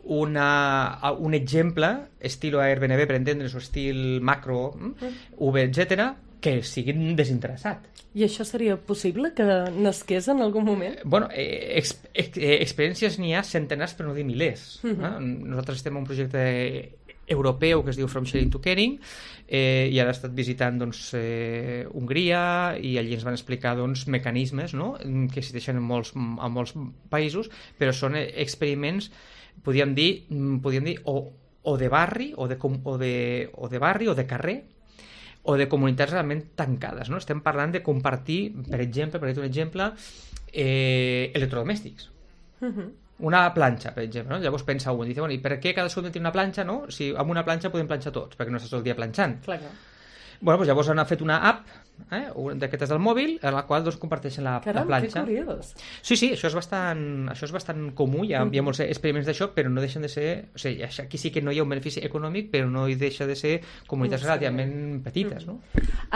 [SPEAKER 5] un exemple estil Airbnb, per entendre's, o estil macro, Uber, etc., que sigui desinteressat.
[SPEAKER 2] I això seria possible que nasqués en algun moment?
[SPEAKER 5] Bueno, experiències n'hi ha centenars, per no dir milers. Nosaltres estem en un projecte europeu que es diu From Sharing to Caring, i ara he estat visitant Hongria, i allí ens van explicar mecanismes, no? Que existeixen en molts països, però són experiments, podríem dir o de barri o de barri o de carrer o de comunitats realment tancades, no? Estem parlant de compartir, per exemple, per dir un exemple, electrodomèstics. Una planxa, per exemple, no? Llavors pensa un, diu, i per què cadascú té una planxa, no? Si amb una planxa podem planxar tots, perquè no estàs tot el dia planxant.
[SPEAKER 2] Clar.
[SPEAKER 5] Bueno, doncs llavors han fet una app, d'aquestes del mòbil, en la qual comparteixen la planxa.
[SPEAKER 2] Caram, que curiós.
[SPEAKER 5] Sí, això és bastant comú, hi ha molts experiments d'això, però no deixen de ser... O sigui, aquí sí que no hi ha un benefici econòmic, però no hi deixa de ser comunitats relativament petites, no?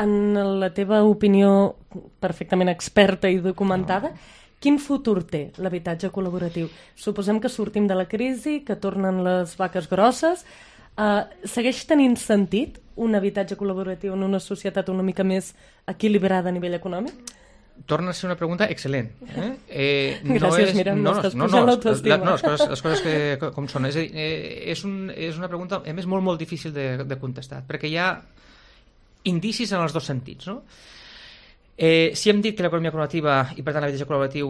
[SPEAKER 2] En la teva opinió perfectament experta i documentada, quin futur té l'habitatge col·laboratiu? Suposem que sortim de la crisi, que tornen les vaques grosses. Segueix tenint sentit un habitatge col·laboratiu en una societat una mica més equilibrada a nivell econòmic?
[SPEAKER 5] Torna a ser una pregunta excel·lent.
[SPEAKER 2] Gràcies, Míriam, m'estàs pujant l'autoestima.
[SPEAKER 5] No, les coses com són. És a dir, és una pregunta, a més, molt, molt difícil de contestar, perquè hi ha indicis en els dos sentits, no? Si hem dit que l'economia col·laborativa i per tant l'habitatge col·laboratiu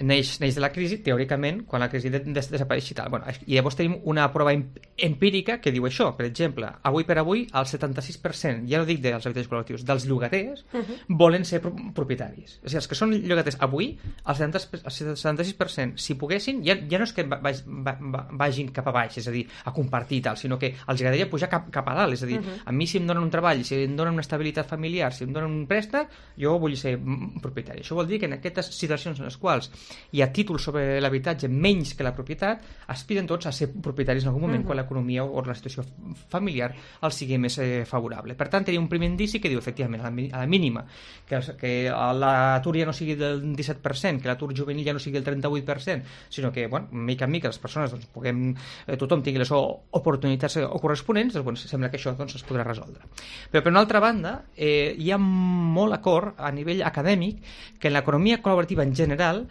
[SPEAKER 5] neix de la crisi, teòricament, quan la crisi desapareix i tal. I llavors tenim una prova empírica que diu això. Per exemple, avui per avui, el 76%, ja no dic dels habitatges col·laboratius, dels llogaters volen ser propietaris. O sigui, els que són llogaters avui, el 76%, si poguessin, ja no és que vagin cap a baix, és a dir, a compartir i tal, sinó que els agradaria pujar cap a dalt. És a dir, a mi si em donen un treball, si em donen una estabilitat familiar, si em donen un préstec, jo vull ser propietari. Això vol dir que en aquestes situacions en les quals hi ha títols sobre l'habitatge menys que la propietat, aspiren tots a ser propietaris en algun moment quan l'economia o la situació familiar els sigui més favorable. Per tant, tenim un primer indici que diu, efectivament, a la mínima, que l'atur ja no sigui del 17%, que l'atur juvenil ja no sigui del 38%, sinó que, mica en mica les persones tothom tingui les oportunitats corresponents, doncs, sembla que això es podrà resoldre. Però, per una altra banda, hi ha molt acord a nivell acadèmic que l'economia col·laborativa en general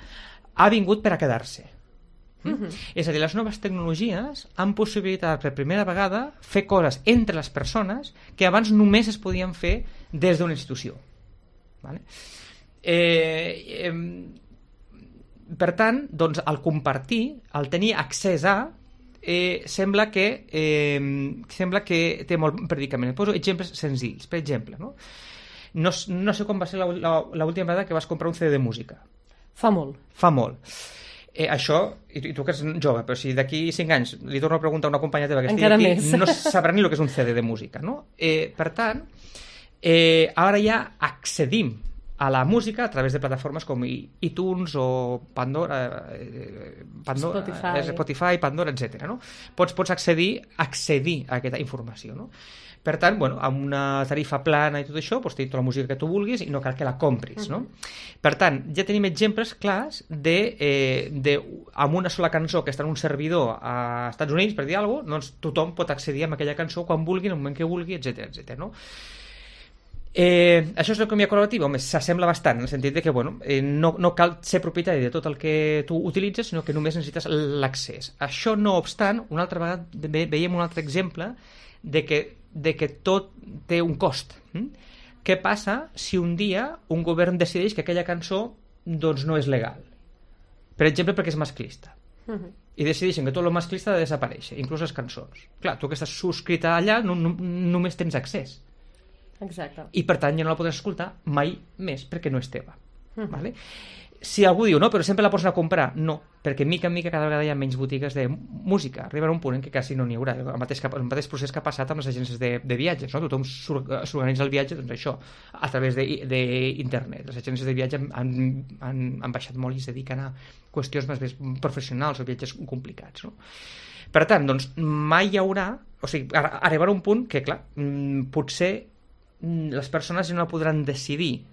[SPEAKER 5] ha vingut per a quedar-se. És a dir, les noves tecnologies han possibilitat per primera vegada fer coses entre les persones que abans només es podien fer des d'una institució. Vale? Per tant, doncs, el compartir, el tenir accés a, sembla que té molt predicament. Poso exemples senzills. Per exemple, no sé com va ser l'última vegada que vas comprar un CD de música.
[SPEAKER 2] Fa molt.
[SPEAKER 5] Això, i tu que ets jove, però si d'aquí 5 anys li torno a preguntar a una companya teva que estigui aquí, més. No sabrà ni el que és un CD de música, no? Per tant, ara ja accedim a la música a través de plataformes com iTunes o Pandora, Spotify, Pandora, etc. No? Pots accedir a aquesta informació, no? Per tant, amb una tarifa plana i tot això, pots tenir tota la música que tu vulguis i no cal que la compris, no? Per tant, ja tenim exemples clars amb una sola cançó que està en un servidor a Estats Units, per dir alguna cosa, doncs tothom pot accedir a aquella cançó quan vulgui, en el moment que vulgui, etc. No? Això és l'economia col·laborativa? Home, s'assembla bastant, en el sentit de que no cal ser propietari de tot el que tu utilitzes, sinó que només necessites l'accés. Això, no obstant, una altra vegada veiem un altre exemple de que tot té un cost. Què passa si un dia un govern decideix que aquella cançó doncs, no és legal? Per exemple, perquè és masclista. I decideixen que tot el masclista ha de desaparèixer, inclús les cançons. Clar, tu que estàs subscrita allà només tens accés.
[SPEAKER 2] Exacte.
[SPEAKER 5] I per tant ja no la podràs escoltar mai més perquè no és teva. Vale? Si algú diu, no, però sempre la pots anar a comprar, no, perquè mica en mica cada vegada hi ha menys botigues de música, arribarà un punt en què quasi no n'hi haurà, el mateix procés que ha passat amb les agències de viatges, no? Tothom s'organitza el viatge, doncs això, a través d'internet. Les agències de viatge han baixat molt i es dediquen a qüestions més professionals o viatges complicats, no? Per tant, doncs, mai hi haurà, o sigui, arribarà un punt que, clar, potser les persones ja no podran decidir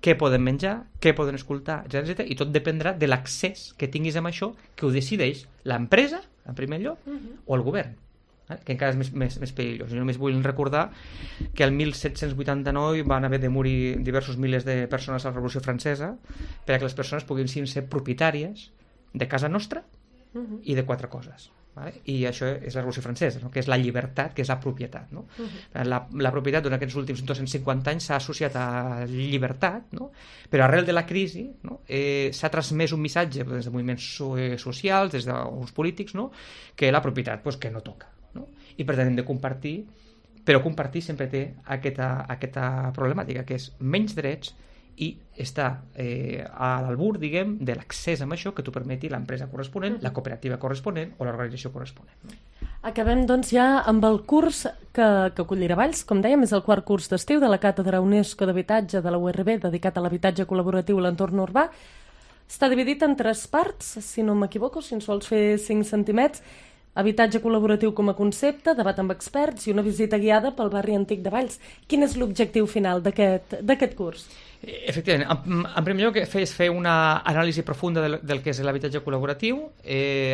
[SPEAKER 5] què poden menjar, què poden escoltar, etc. I tot dependrà de l'accés que tinguis amb això, que ho decideix l'empresa, en primer lloc, o el govern, que encara és més perillós. Jo només vull recordar que el 1789 van haver de morir diversos milers de persones a la Revolució Francesa perquè les persones poguessin ser propietàries de casa nostra i de 4 coses. Vale? I això és la Revolució Francesa, no? Que és la llibertat, que és la propietat, no? La propietat durant aquests últims 250 anys s'ha associat a llibertat, no? Però arrel de la crisi, no? S'ha transmès un missatge des de moviments socials, des dels polítics, no? Que la propietat que no toca, no? I per tant hem de compartir, però compartir sempre té aquesta problemàtica, que és menys drets i està a l'albur, diguem, de l'accés amb això que t'ho permeti l'empresa corresponent, la cooperativa corresponent o l'organització corresponent.
[SPEAKER 2] Acabem, doncs, ja amb el curs que acollirà Valls. Com dèiem, és el 4 curs d'estiu de la Càtedra UNESCO d'Habitatge de la URB, dedicat a l'habitatge col·laboratiu a l'entorn urbà. Està dividit en 3 parts, si no m'equivoco, si ens vols fer 5 centimets. Habitatge col·laboratiu com a concepte, debat amb experts i una visita guiada pel barri antic de Valls. Quin és l'objectiu final d'aquest curs?
[SPEAKER 5] Efectivament, en primer lloc és fer una anàlisi profunda del que és l'habitatge col·laboratiu,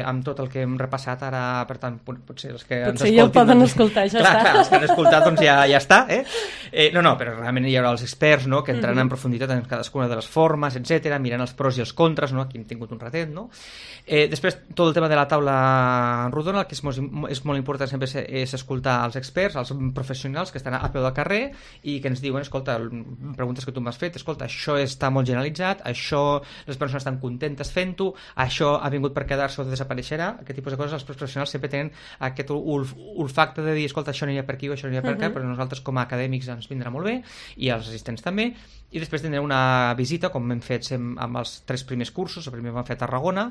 [SPEAKER 5] amb tot el que hem repassat ara, per tant, potser els que ens escoltin...
[SPEAKER 2] ja el poden escoltar, ja està.
[SPEAKER 5] Clar, els que han escoltat doncs ja està, No, però realment hi haurà els experts, no?, que entraran en profunditat en cadascuna de les formes, etc, mirant els pros i els contres, no?, aquí hem tingut un ratet, no? Després, tot el tema de la taula rodona, el que és molt important sempre és escoltar els experts, els professionals que estan a peu del carrer i que ens diuen, escolta, preguntes que tu m'has fet, escolta, això està molt generalitzat, això les persones estan contentes fent-ho, això ha vingut per quedar-se o desapareixerà, aquest tipus de coses els professionals sempre tenen aquest olfacte de dir, escolta, això anirà per aquí o això anirà per aquí, però nosaltres com a acadèmics ens vindrà molt bé, i els assistents també, i després tindrem una visita, com hem fet amb els 3 primers cursos. El primer el vam fer a Tarragona,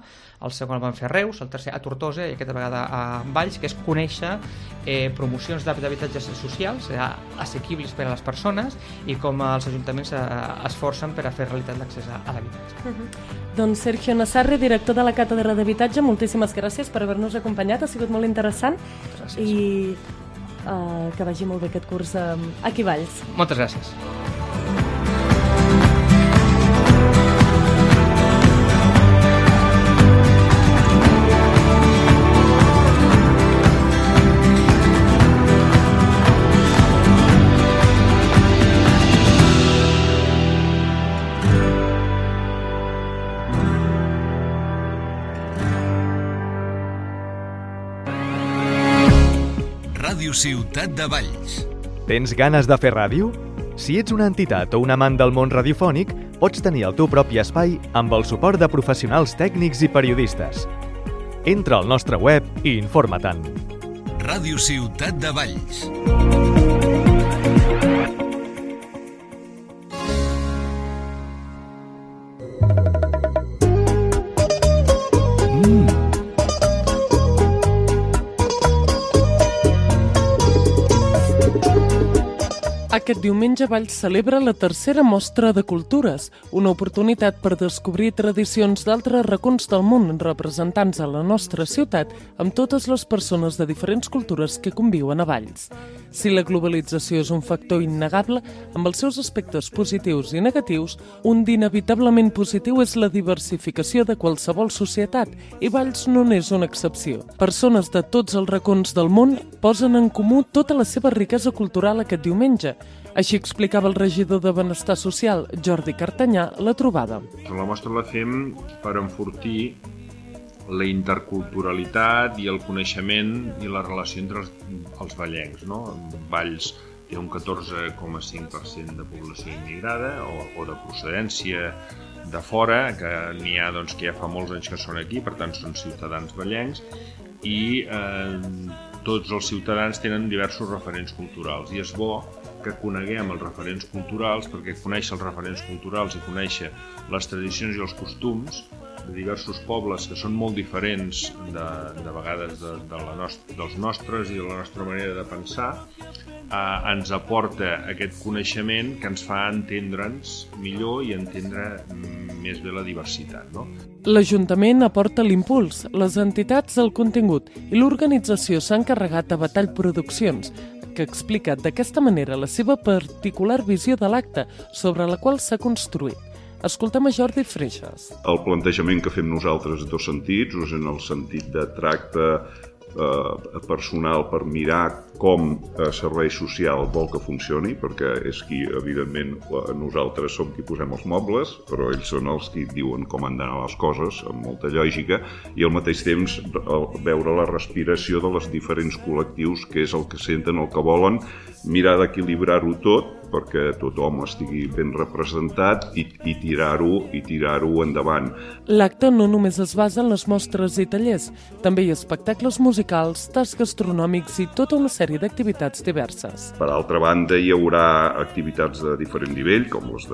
[SPEAKER 5] el segon el vam fer a Reus, el tercer a Tortosa i aquesta vegada a Valls, que és conèixer promocions d'habitatges socials assequibles per a les persones i com els ajuntaments esforcen per a fer realitat l'accés a l'habitatge.
[SPEAKER 2] Doncs Sergio Nassarri, director de la Càtedra d'Habitatge, moltíssimes gràcies per haver-nos acompanyat, ha sigut molt interessant. Gràcies. I que vagi molt bé aquest curs aquí a Valls.
[SPEAKER 5] Moltes gràcies.
[SPEAKER 1] Ràdio Ciutat de Valls.
[SPEAKER 6] Tens ganes de fer ràdio? Si ets una entitat o un amant del món radiofònic, pots tenir el teu propi espai amb el suport de professionals tècnics i periodistes. Entra al nostre web i informa-te'n.
[SPEAKER 1] Ràdio Ciutat de Valls.
[SPEAKER 2] Aquest diumenge Valls celebra la tercera mostra de cultures, una oportunitat per descobrir tradicions d'altres racons del món representants a la nostra ciutat amb totes les persones de diferents cultures que conviuen a Valls. Si la globalització és un factor innegable, amb els seus aspectes positius i negatius, un d'inevitablement positiu és la diversificació de qualsevol societat, i Valls no n'és una excepció. Persones de tots els racons del món posen en comú tota la seva riquesa cultural aquest diumenge. Així explicava el regidor de Benestar Social, Jordi Cartanyà, la trobada.
[SPEAKER 7] La mostra la fem per enfortir la interculturalitat i el coneixement i la relació entre els vallencs. Valls té un 14,5% de població immigrada o de procedència de fora, que n'hi ha que ja fa molts anys que són aquí, per tant són ciutadans vallencs, i tots els ciutadans tenen diversos referents culturals, i és bo que coneguem els referents culturals, perquè conèixer els referents culturals i conèixer les tradicions i els costums de diversos pobles que són molt diferents de vegades dels nostres i de la nostra manera de pensar, ens aporta aquest coneixement que ens fa entendre'ns millor i entendre més bé la diversitat.
[SPEAKER 2] L'Ajuntament aporta l'impuls, les entitats el contingut i l'organització s'ha encarregat a Batall Produccions, que explica d'aquesta manera la seva particular visió de l'acte sobre la qual s'ha construït. Escoltem a Jordi Freixas.
[SPEAKER 8] El plantejament que fem nosaltres en dos sentits, en el sentit de tracte personal per mirar com servei social vol que funcioni, perquè és qui, evidentment, nosaltres som qui posem els mobles, però ells són els qui diuen com han d'anar les coses, amb molta lògica, i al mateix temps veure la respiració de les diferents col·lectius, que és el que senten, el que volen, mirar d'equilibrar-ho tot, perquè tothom estigui ben representat i tirar-ho endavant.
[SPEAKER 2] L'acte no només es basa en les mostres i tallers, també hi ha espectacles musicals, tasts gastronòmics i tota una sèrie d'activitats diverses.
[SPEAKER 8] Per altra banda, hi haurà activitats de diferent nivell, com les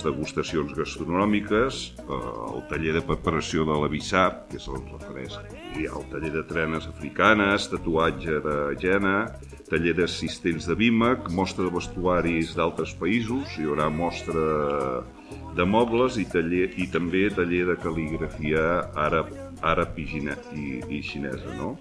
[SPEAKER 8] degustacions gastronòmiques, el taller de preparació de la bissap, que és el refresc, hi ha el taller de trenes africanes, tatuatge de Jena, taller d'assistents de BIMAC, mostra de vestuaris d'altres països, hi haurà mostra de mobles i també taller de cal·ligrafia àrab i xinesa, no?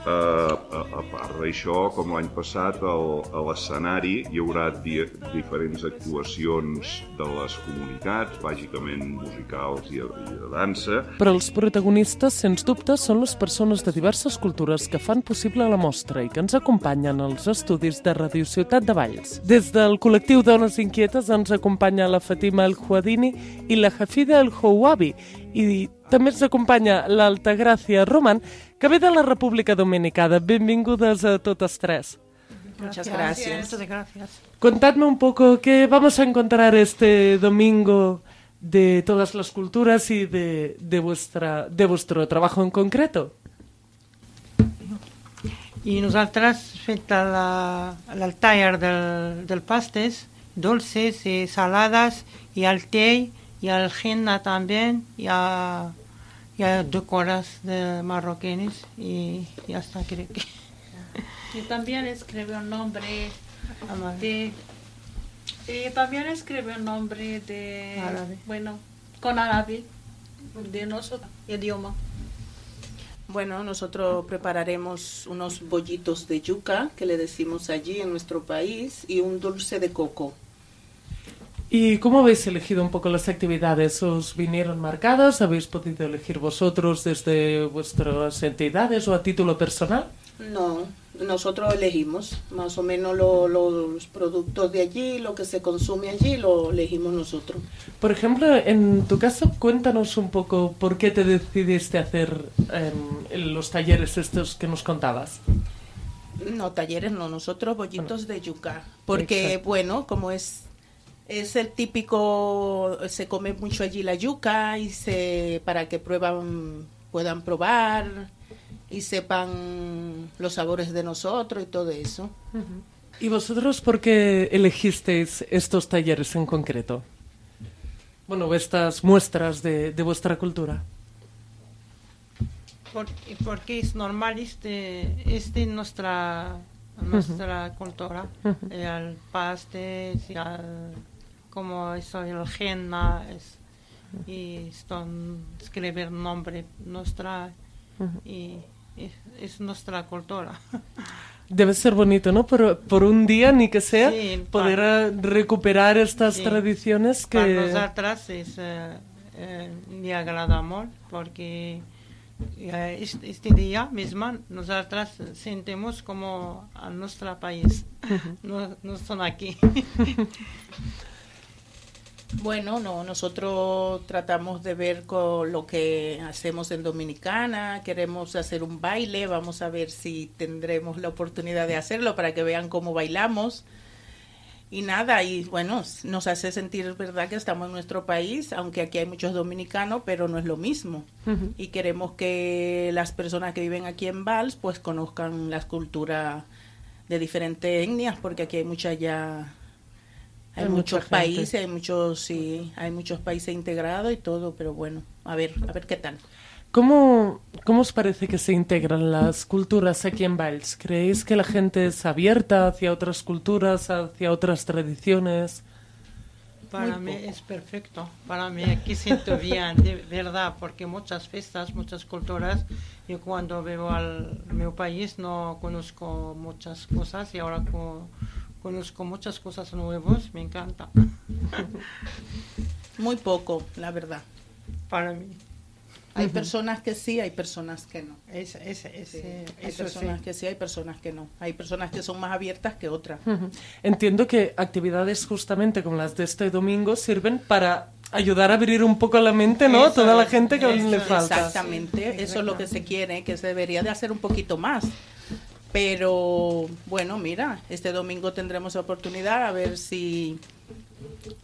[SPEAKER 8] A part d'això, com l'any passat, a l'escenari hi haurà diferents actuacions de les comunitats, bàsicament musicals i de dansa.
[SPEAKER 2] Però els protagonistes, sens dubte, són les persones de diverses cultures que fan possible la mostra i que ens acompanyen als estudis de Ràdio Ciutat de Valls. Des del col·lectiu Dones Inquietes ens acompanya la Fatima El Huadini i la Hafida El Houabi, i també ens acompanya l'Altagràcia Roman, que ve de la República Dominicana. Benvingudes a totes tres.
[SPEAKER 9] Muchas gracias.
[SPEAKER 5] Muchas gracias.
[SPEAKER 2] Contadme un poco qué vamos a encontrar este domingo de todas las culturas y de vuestro trabajo en concreto.
[SPEAKER 10] I nosaltres fet el taller del pastes, dulces i salades, i el té, i el henna també, hi ha decoras de marroquines y ya está, creo que.
[SPEAKER 9] Y también escribe un nombre de... Y también escribe un nombre de...
[SPEAKER 10] Árabe.
[SPEAKER 9] Bueno, con árabe, de nuestro idioma.
[SPEAKER 11] Bueno, nosotros prepararemos unos bollitos de yuca, que le decimos allí en nuestro país, y un dulce de coco.
[SPEAKER 2] ¿Y cómo habéis elegido un poco las actividades? ¿Os vinieron marcadas? ¿Habéis podido elegir vosotros desde vuestras entidades o a título personal?
[SPEAKER 11] No, nosotros elegimos más o menos los productos de allí, lo que se consume allí, lo elegimos nosotros.
[SPEAKER 2] Por ejemplo, en tu caso, cuéntanos un poco por qué te decidiste hacer los talleres estos que nos contabas.
[SPEAKER 11] No, talleres no, nosotros bollitos de yuca, porque exacto. Bueno, como es el típico, se come mucho allí la yuca y para que puedan probar y sepan los sabores de nosotros y todo eso.
[SPEAKER 2] Uh-huh. ¿Y vosotros por qué elegisteis estos talleres en concreto? Bueno, estas muestras de vuestra cultura.
[SPEAKER 10] Porque es normal nuestra cultura,
[SPEAKER 2] Uh-huh.
[SPEAKER 10] El pastes, como eso, el henna, y escribir nombre nuestra,
[SPEAKER 2] Uh-huh.
[SPEAKER 10] y es nuestra cultura.
[SPEAKER 2] Debe ser bonito, ¿no? Por un día, ni que sea,
[SPEAKER 10] sí,
[SPEAKER 2] poder recuperar estas
[SPEAKER 10] sí,
[SPEAKER 2] tradiciones que...
[SPEAKER 10] Para nosotras me agrada mucho, porque este día mismo nosotras sentimos como a nuestro país, no son aquí.
[SPEAKER 11] Bueno, no, nosotros tratamos de ver con lo que hacemos en Dominicana, queremos hacer un baile, vamos a ver si tendremos la oportunidad de hacerlo para que vean cómo bailamos. Y nada, y bueno, nos hace sentir, verdad, que estamos en nuestro país, aunque aquí hay muchos dominicanos, pero no es lo mismo.
[SPEAKER 2] Uh-huh.
[SPEAKER 11] Y queremos que las personas que viven aquí en Valls, pues conozcan las culturas de diferentes etnias, porque aquí hay hay muchos países, hay muchos países integrados y todo, pero bueno, a ver qué tal.
[SPEAKER 2] ¿Cómo os parece que se integran las culturas aquí en Valls? ¿Creéis que la gente es abierta hacia otras culturas, hacia otras tradiciones?
[SPEAKER 10] Para mí es perfecto, para mí aquí siento bien, de verdad, porque muchas fiestas, muchas culturas, yo cuando veo mi país no conozco muchas cosas y ahora conozco muchas cosas nuevas, me encanta.
[SPEAKER 11] Muy poco, la verdad.
[SPEAKER 10] Para mí.
[SPEAKER 11] Hay personas que sí, hay personas que no.
[SPEAKER 10] Hay
[SPEAKER 11] personas que sí, hay personas que no. Hay personas que son más abiertas que otras.
[SPEAKER 2] Uh-huh. Entiendo que actividades justamente como las de este domingo sirven para ayudar a abrir un poco la mente, ¿no? A toda la gente que le falta.
[SPEAKER 11] Exactamente, sí, eso es lo que se quiere, que se debería de hacer un poquito más. Pero bueno, mira, este domingo tendremos oportunidad a ver si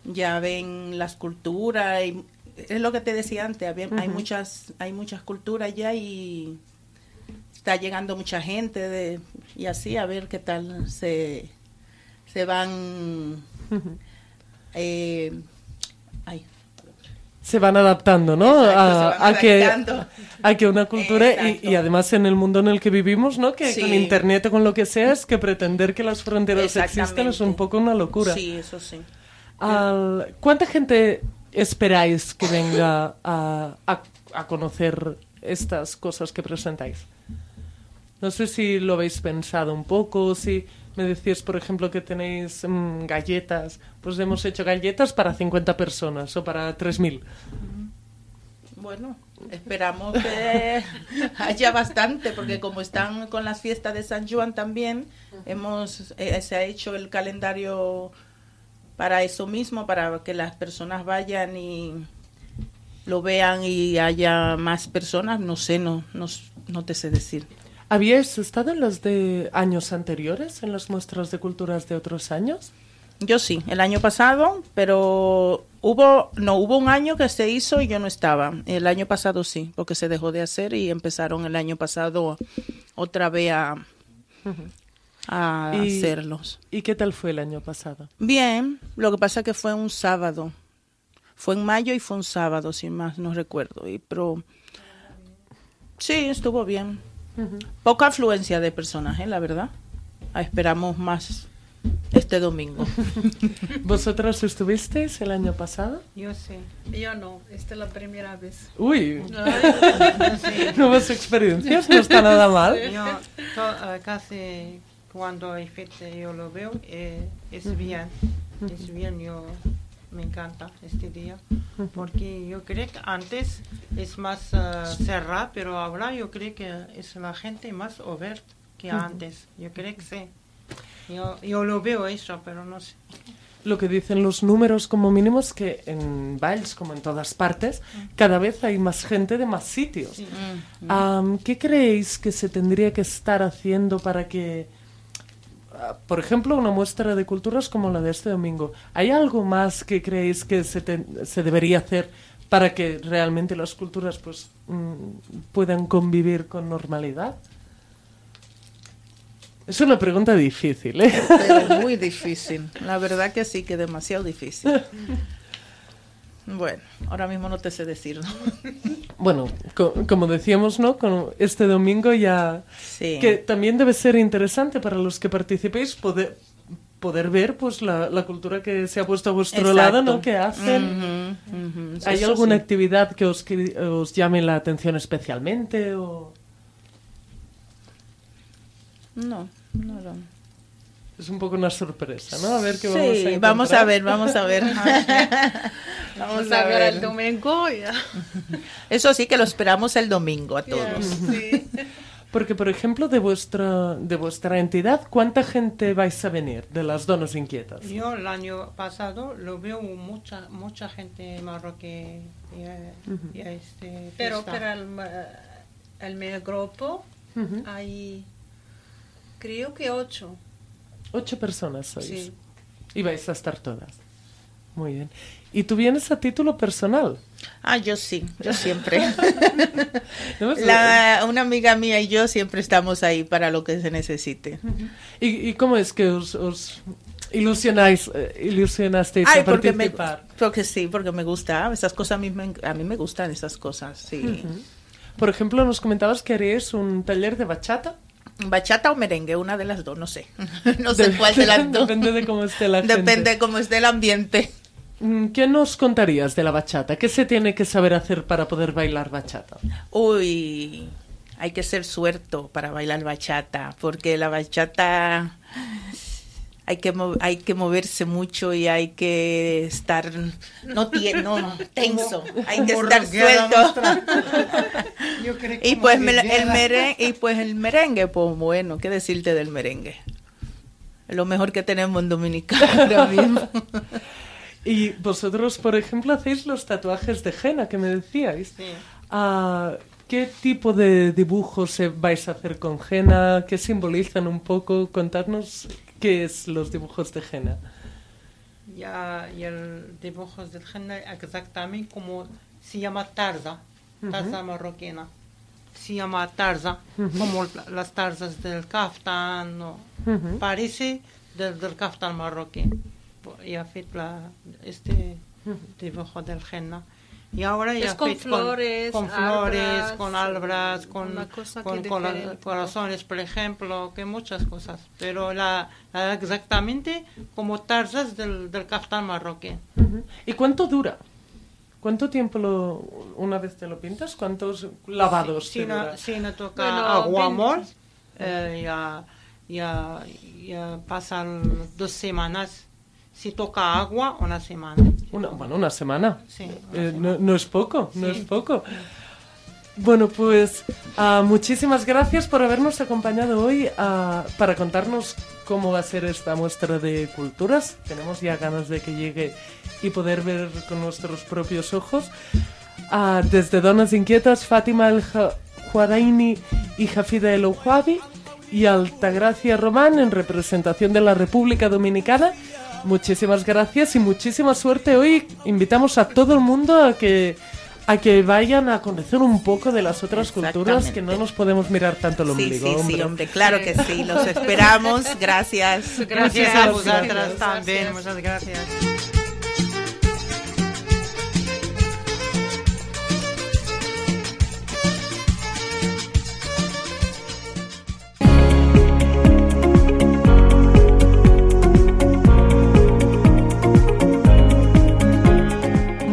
[SPEAKER 11] ya ven las culturas y es lo que te decía antes, hay muchas culturas ya y está llegando mucha gente y así a ver qué tal se van
[SPEAKER 2] se van adaptando, ¿no?
[SPEAKER 11] Exacto,
[SPEAKER 2] a que una cultura y además en el mundo en el que vivimos, ¿no? Que sí. Con internet o con lo que sea es que pretender que las fronteras existan es un poco una locura.
[SPEAKER 11] Sí, eso sí.
[SPEAKER 2] ¿Cuánta gente esperáis que venga a conocer estas cosas que presentáis? No sé si lo habéis pensado un poco, si me decís, por ejemplo, que tenéis galletas, pues hemos hecho galletas para 50 personas o para 3.000.
[SPEAKER 11] Bueno, esperamos que haya bastante, porque como están con las fiestas de San Juan también, se ha hecho el calendario para eso mismo, para que las personas vayan y lo vean y haya más personas, no sé, no te sé decir.
[SPEAKER 12] ¿Habíais estado en las de años anteriores, en las muestras de culturas de otros años?
[SPEAKER 11] Yo sí, el año pasado, pero hubo un año que se hizo y yo no estaba. El año pasado sí, porque se dejó de hacer y empezaron el año pasado otra vez a hacerlos.
[SPEAKER 12] ¿Y qué tal fue el año pasado?
[SPEAKER 11] Bien, lo que pasa es que fue un sábado. Fue en mayo y fue un sábado, si más no recuerdo. Pero sí, estuvo bien. Poca afluencia de personajes, la verdad. Esperamos más este domingo.
[SPEAKER 12] ¿Vosotras estuvisteis el año pasado?
[SPEAKER 10] Yo sí.
[SPEAKER 9] Yo no, esta es la primera vez.
[SPEAKER 12] Uy, nuevas experiencias, no está nada mal.
[SPEAKER 10] Yo casi cuando hay fecha yo lo veo, es bien, yo me encanta este día, porque yo creo que antes es más cerrado, pero ahora yo creo que es la gente más abierta que antes, yo creo que sí. Yo lo veo eso, pero no sé.
[SPEAKER 12] Lo que dicen los números como mínimo es que en Valls, como en todas partes, cada vez hay más gente de más sitios.
[SPEAKER 10] Sí.
[SPEAKER 12] ¿Qué creéis que se tendría que estar haciendo para que, por ejemplo, una muestra de culturas como la de este domingo, ¿hay algo más que creéis que se debería hacer para que realmente las culturas pues puedan convivir con normalidad? Es una pregunta difícil, ¿eh?
[SPEAKER 11] Pero muy difícil. La verdad que sí, que demasiado difícil. Bueno, ahora mismo no te sé decir, ¿no?
[SPEAKER 12] Bueno, como decíamos, ¿no? Con este domingo ya...
[SPEAKER 11] Sí.
[SPEAKER 12] Que también debe ser interesante para los que participéis poder ver pues la cultura que se ha puesto a vuestro lado, ¿no? Que hacen. ¿Hay
[SPEAKER 11] Eso
[SPEAKER 12] alguna
[SPEAKER 11] sí.
[SPEAKER 12] actividad que os llame la atención especialmente o...?
[SPEAKER 11] No.
[SPEAKER 12] Es un poco una sorpresa, ¿no? A ver qué
[SPEAKER 11] Sí,
[SPEAKER 12] vamos a encontrar.
[SPEAKER 11] vamos a ver.
[SPEAKER 9] Vamos a ver el domingo. Ya.
[SPEAKER 11] Eso sí que lo esperamos el domingo a todos.
[SPEAKER 9] Sí.
[SPEAKER 12] Porque, por ejemplo, de vuestra entidad, ¿cuánta gente vais a venir de las Donas Inquietas?
[SPEAKER 10] Yo el año pasado lo veo mucha gente marroquí.
[SPEAKER 9] Pero el mi grupo hay, creo que 8.
[SPEAKER 12] 8 personas sois.
[SPEAKER 9] Sí.
[SPEAKER 12] Y vais a estar todas. Muy bien. ¿Y tú vienes a título personal?
[SPEAKER 11] Yo sí, yo siempre.
[SPEAKER 12] ¿No?
[SPEAKER 11] Una amiga mía y yo siempre estamos ahí para lo que se necesite.
[SPEAKER 12] ¿Y cómo es que os ilusionasteis a participar?
[SPEAKER 11] Porque me gusta, esas cosas a mí me gustan esas cosas, sí.
[SPEAKER 12] Por ejemplo, nos comentabas que haríais un taller de bachata.
[SPEAKER 11] Bachata o merengue, una de las dos, no sé. No sé cuál de las dos.
[SPEAKER 12] Depende de cómo esté la gente.
[SPEAKER 11] Depende de cómo esté el ambiente.
[SPEAKER 12] ¿Qué nos contarías de la bachata? ¿Qué se tiene que saber hacer para poder bailar bachata?
[SPEAKER 11] Uy, hay que ser suerto para bailar bachata, porque la bachata hay que moverse mucho y hay que estar no tenso, hay que estar suelto. Y pues el merengue, pues bueno, ¿qué decirte del merengue? Lo mejor que tenemos en Dominicana ahora mismo.
[SPEAKER 12] Y vosotros, por ejemplo, hacéis los tatuajes de henna que me decíais.
[SPEAKER 10] Sí.
[SPEAKER 12] ¿Qué tipo de dibujos vais a hacer con henna? ¿Qué simbolizan un poco? Contadnos qué es los dibujos de henna.
[SPEAKER 10] Y el dibujo de henna exactamente como se llama tarza marroquina. Se llama tarza, como las tarzas del caftán, ¿no? Parece del caftán marroquí. Y ha hecho este dibujo del henna. Y ahora ya
[SPEAKER 9] con flores,
[SPEAKER 10] con albras, con corazones, por ejemplo, que muchas cosas. Pero exactamente como tarzas del caftán marroquí.
[SPEAKER 12] ¿Y cuánto dura? ¿Cuánto tiempo una vez te lo pintas? ¿Cuántos lavados te dura?
[SPEAKER 10] Si no toca aguamol, ya pasan 2 semanas. Si toca agua, 1 semana.
[SPEAKER 12] Una semana.
[SPEAKER 10] Sí.
[SPEAKER 12] No es poco, no es poco. Bueno, pues muchísimas gracias por habernos acompañado hoy para contarnos cómo va a ser esta muestra de culturas. Tenemos ya ganas de que llegue y poder ver con nuestros propios ojos. Desde Donas Inquietas, Fátima El Juaraini y Jafida El Ouabi, y Altagracia Román en representación de la República Dominicana. Muchísimas gracias y muchísima suerte. Hoy invitamos a todo el mundo a que vayan a conocer un poco de las otras culturas, que no nos podemos mirar tanto el ombligo.
[SPEAKER 11] Sí, hombre, claro que sí, los esperamos. Gracias.
[SPEAKER 10] Gracias a vosotras también, muchas gracias.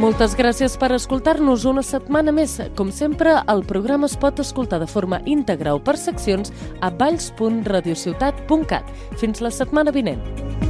[SPEAKER 2] Moltes gràcies per escoltar-nos una setmana més. Com sempre, el programa es pot escoltar de forma íntegra o per seccions a valls.radiociutat.cat. Fins la setmana vinent.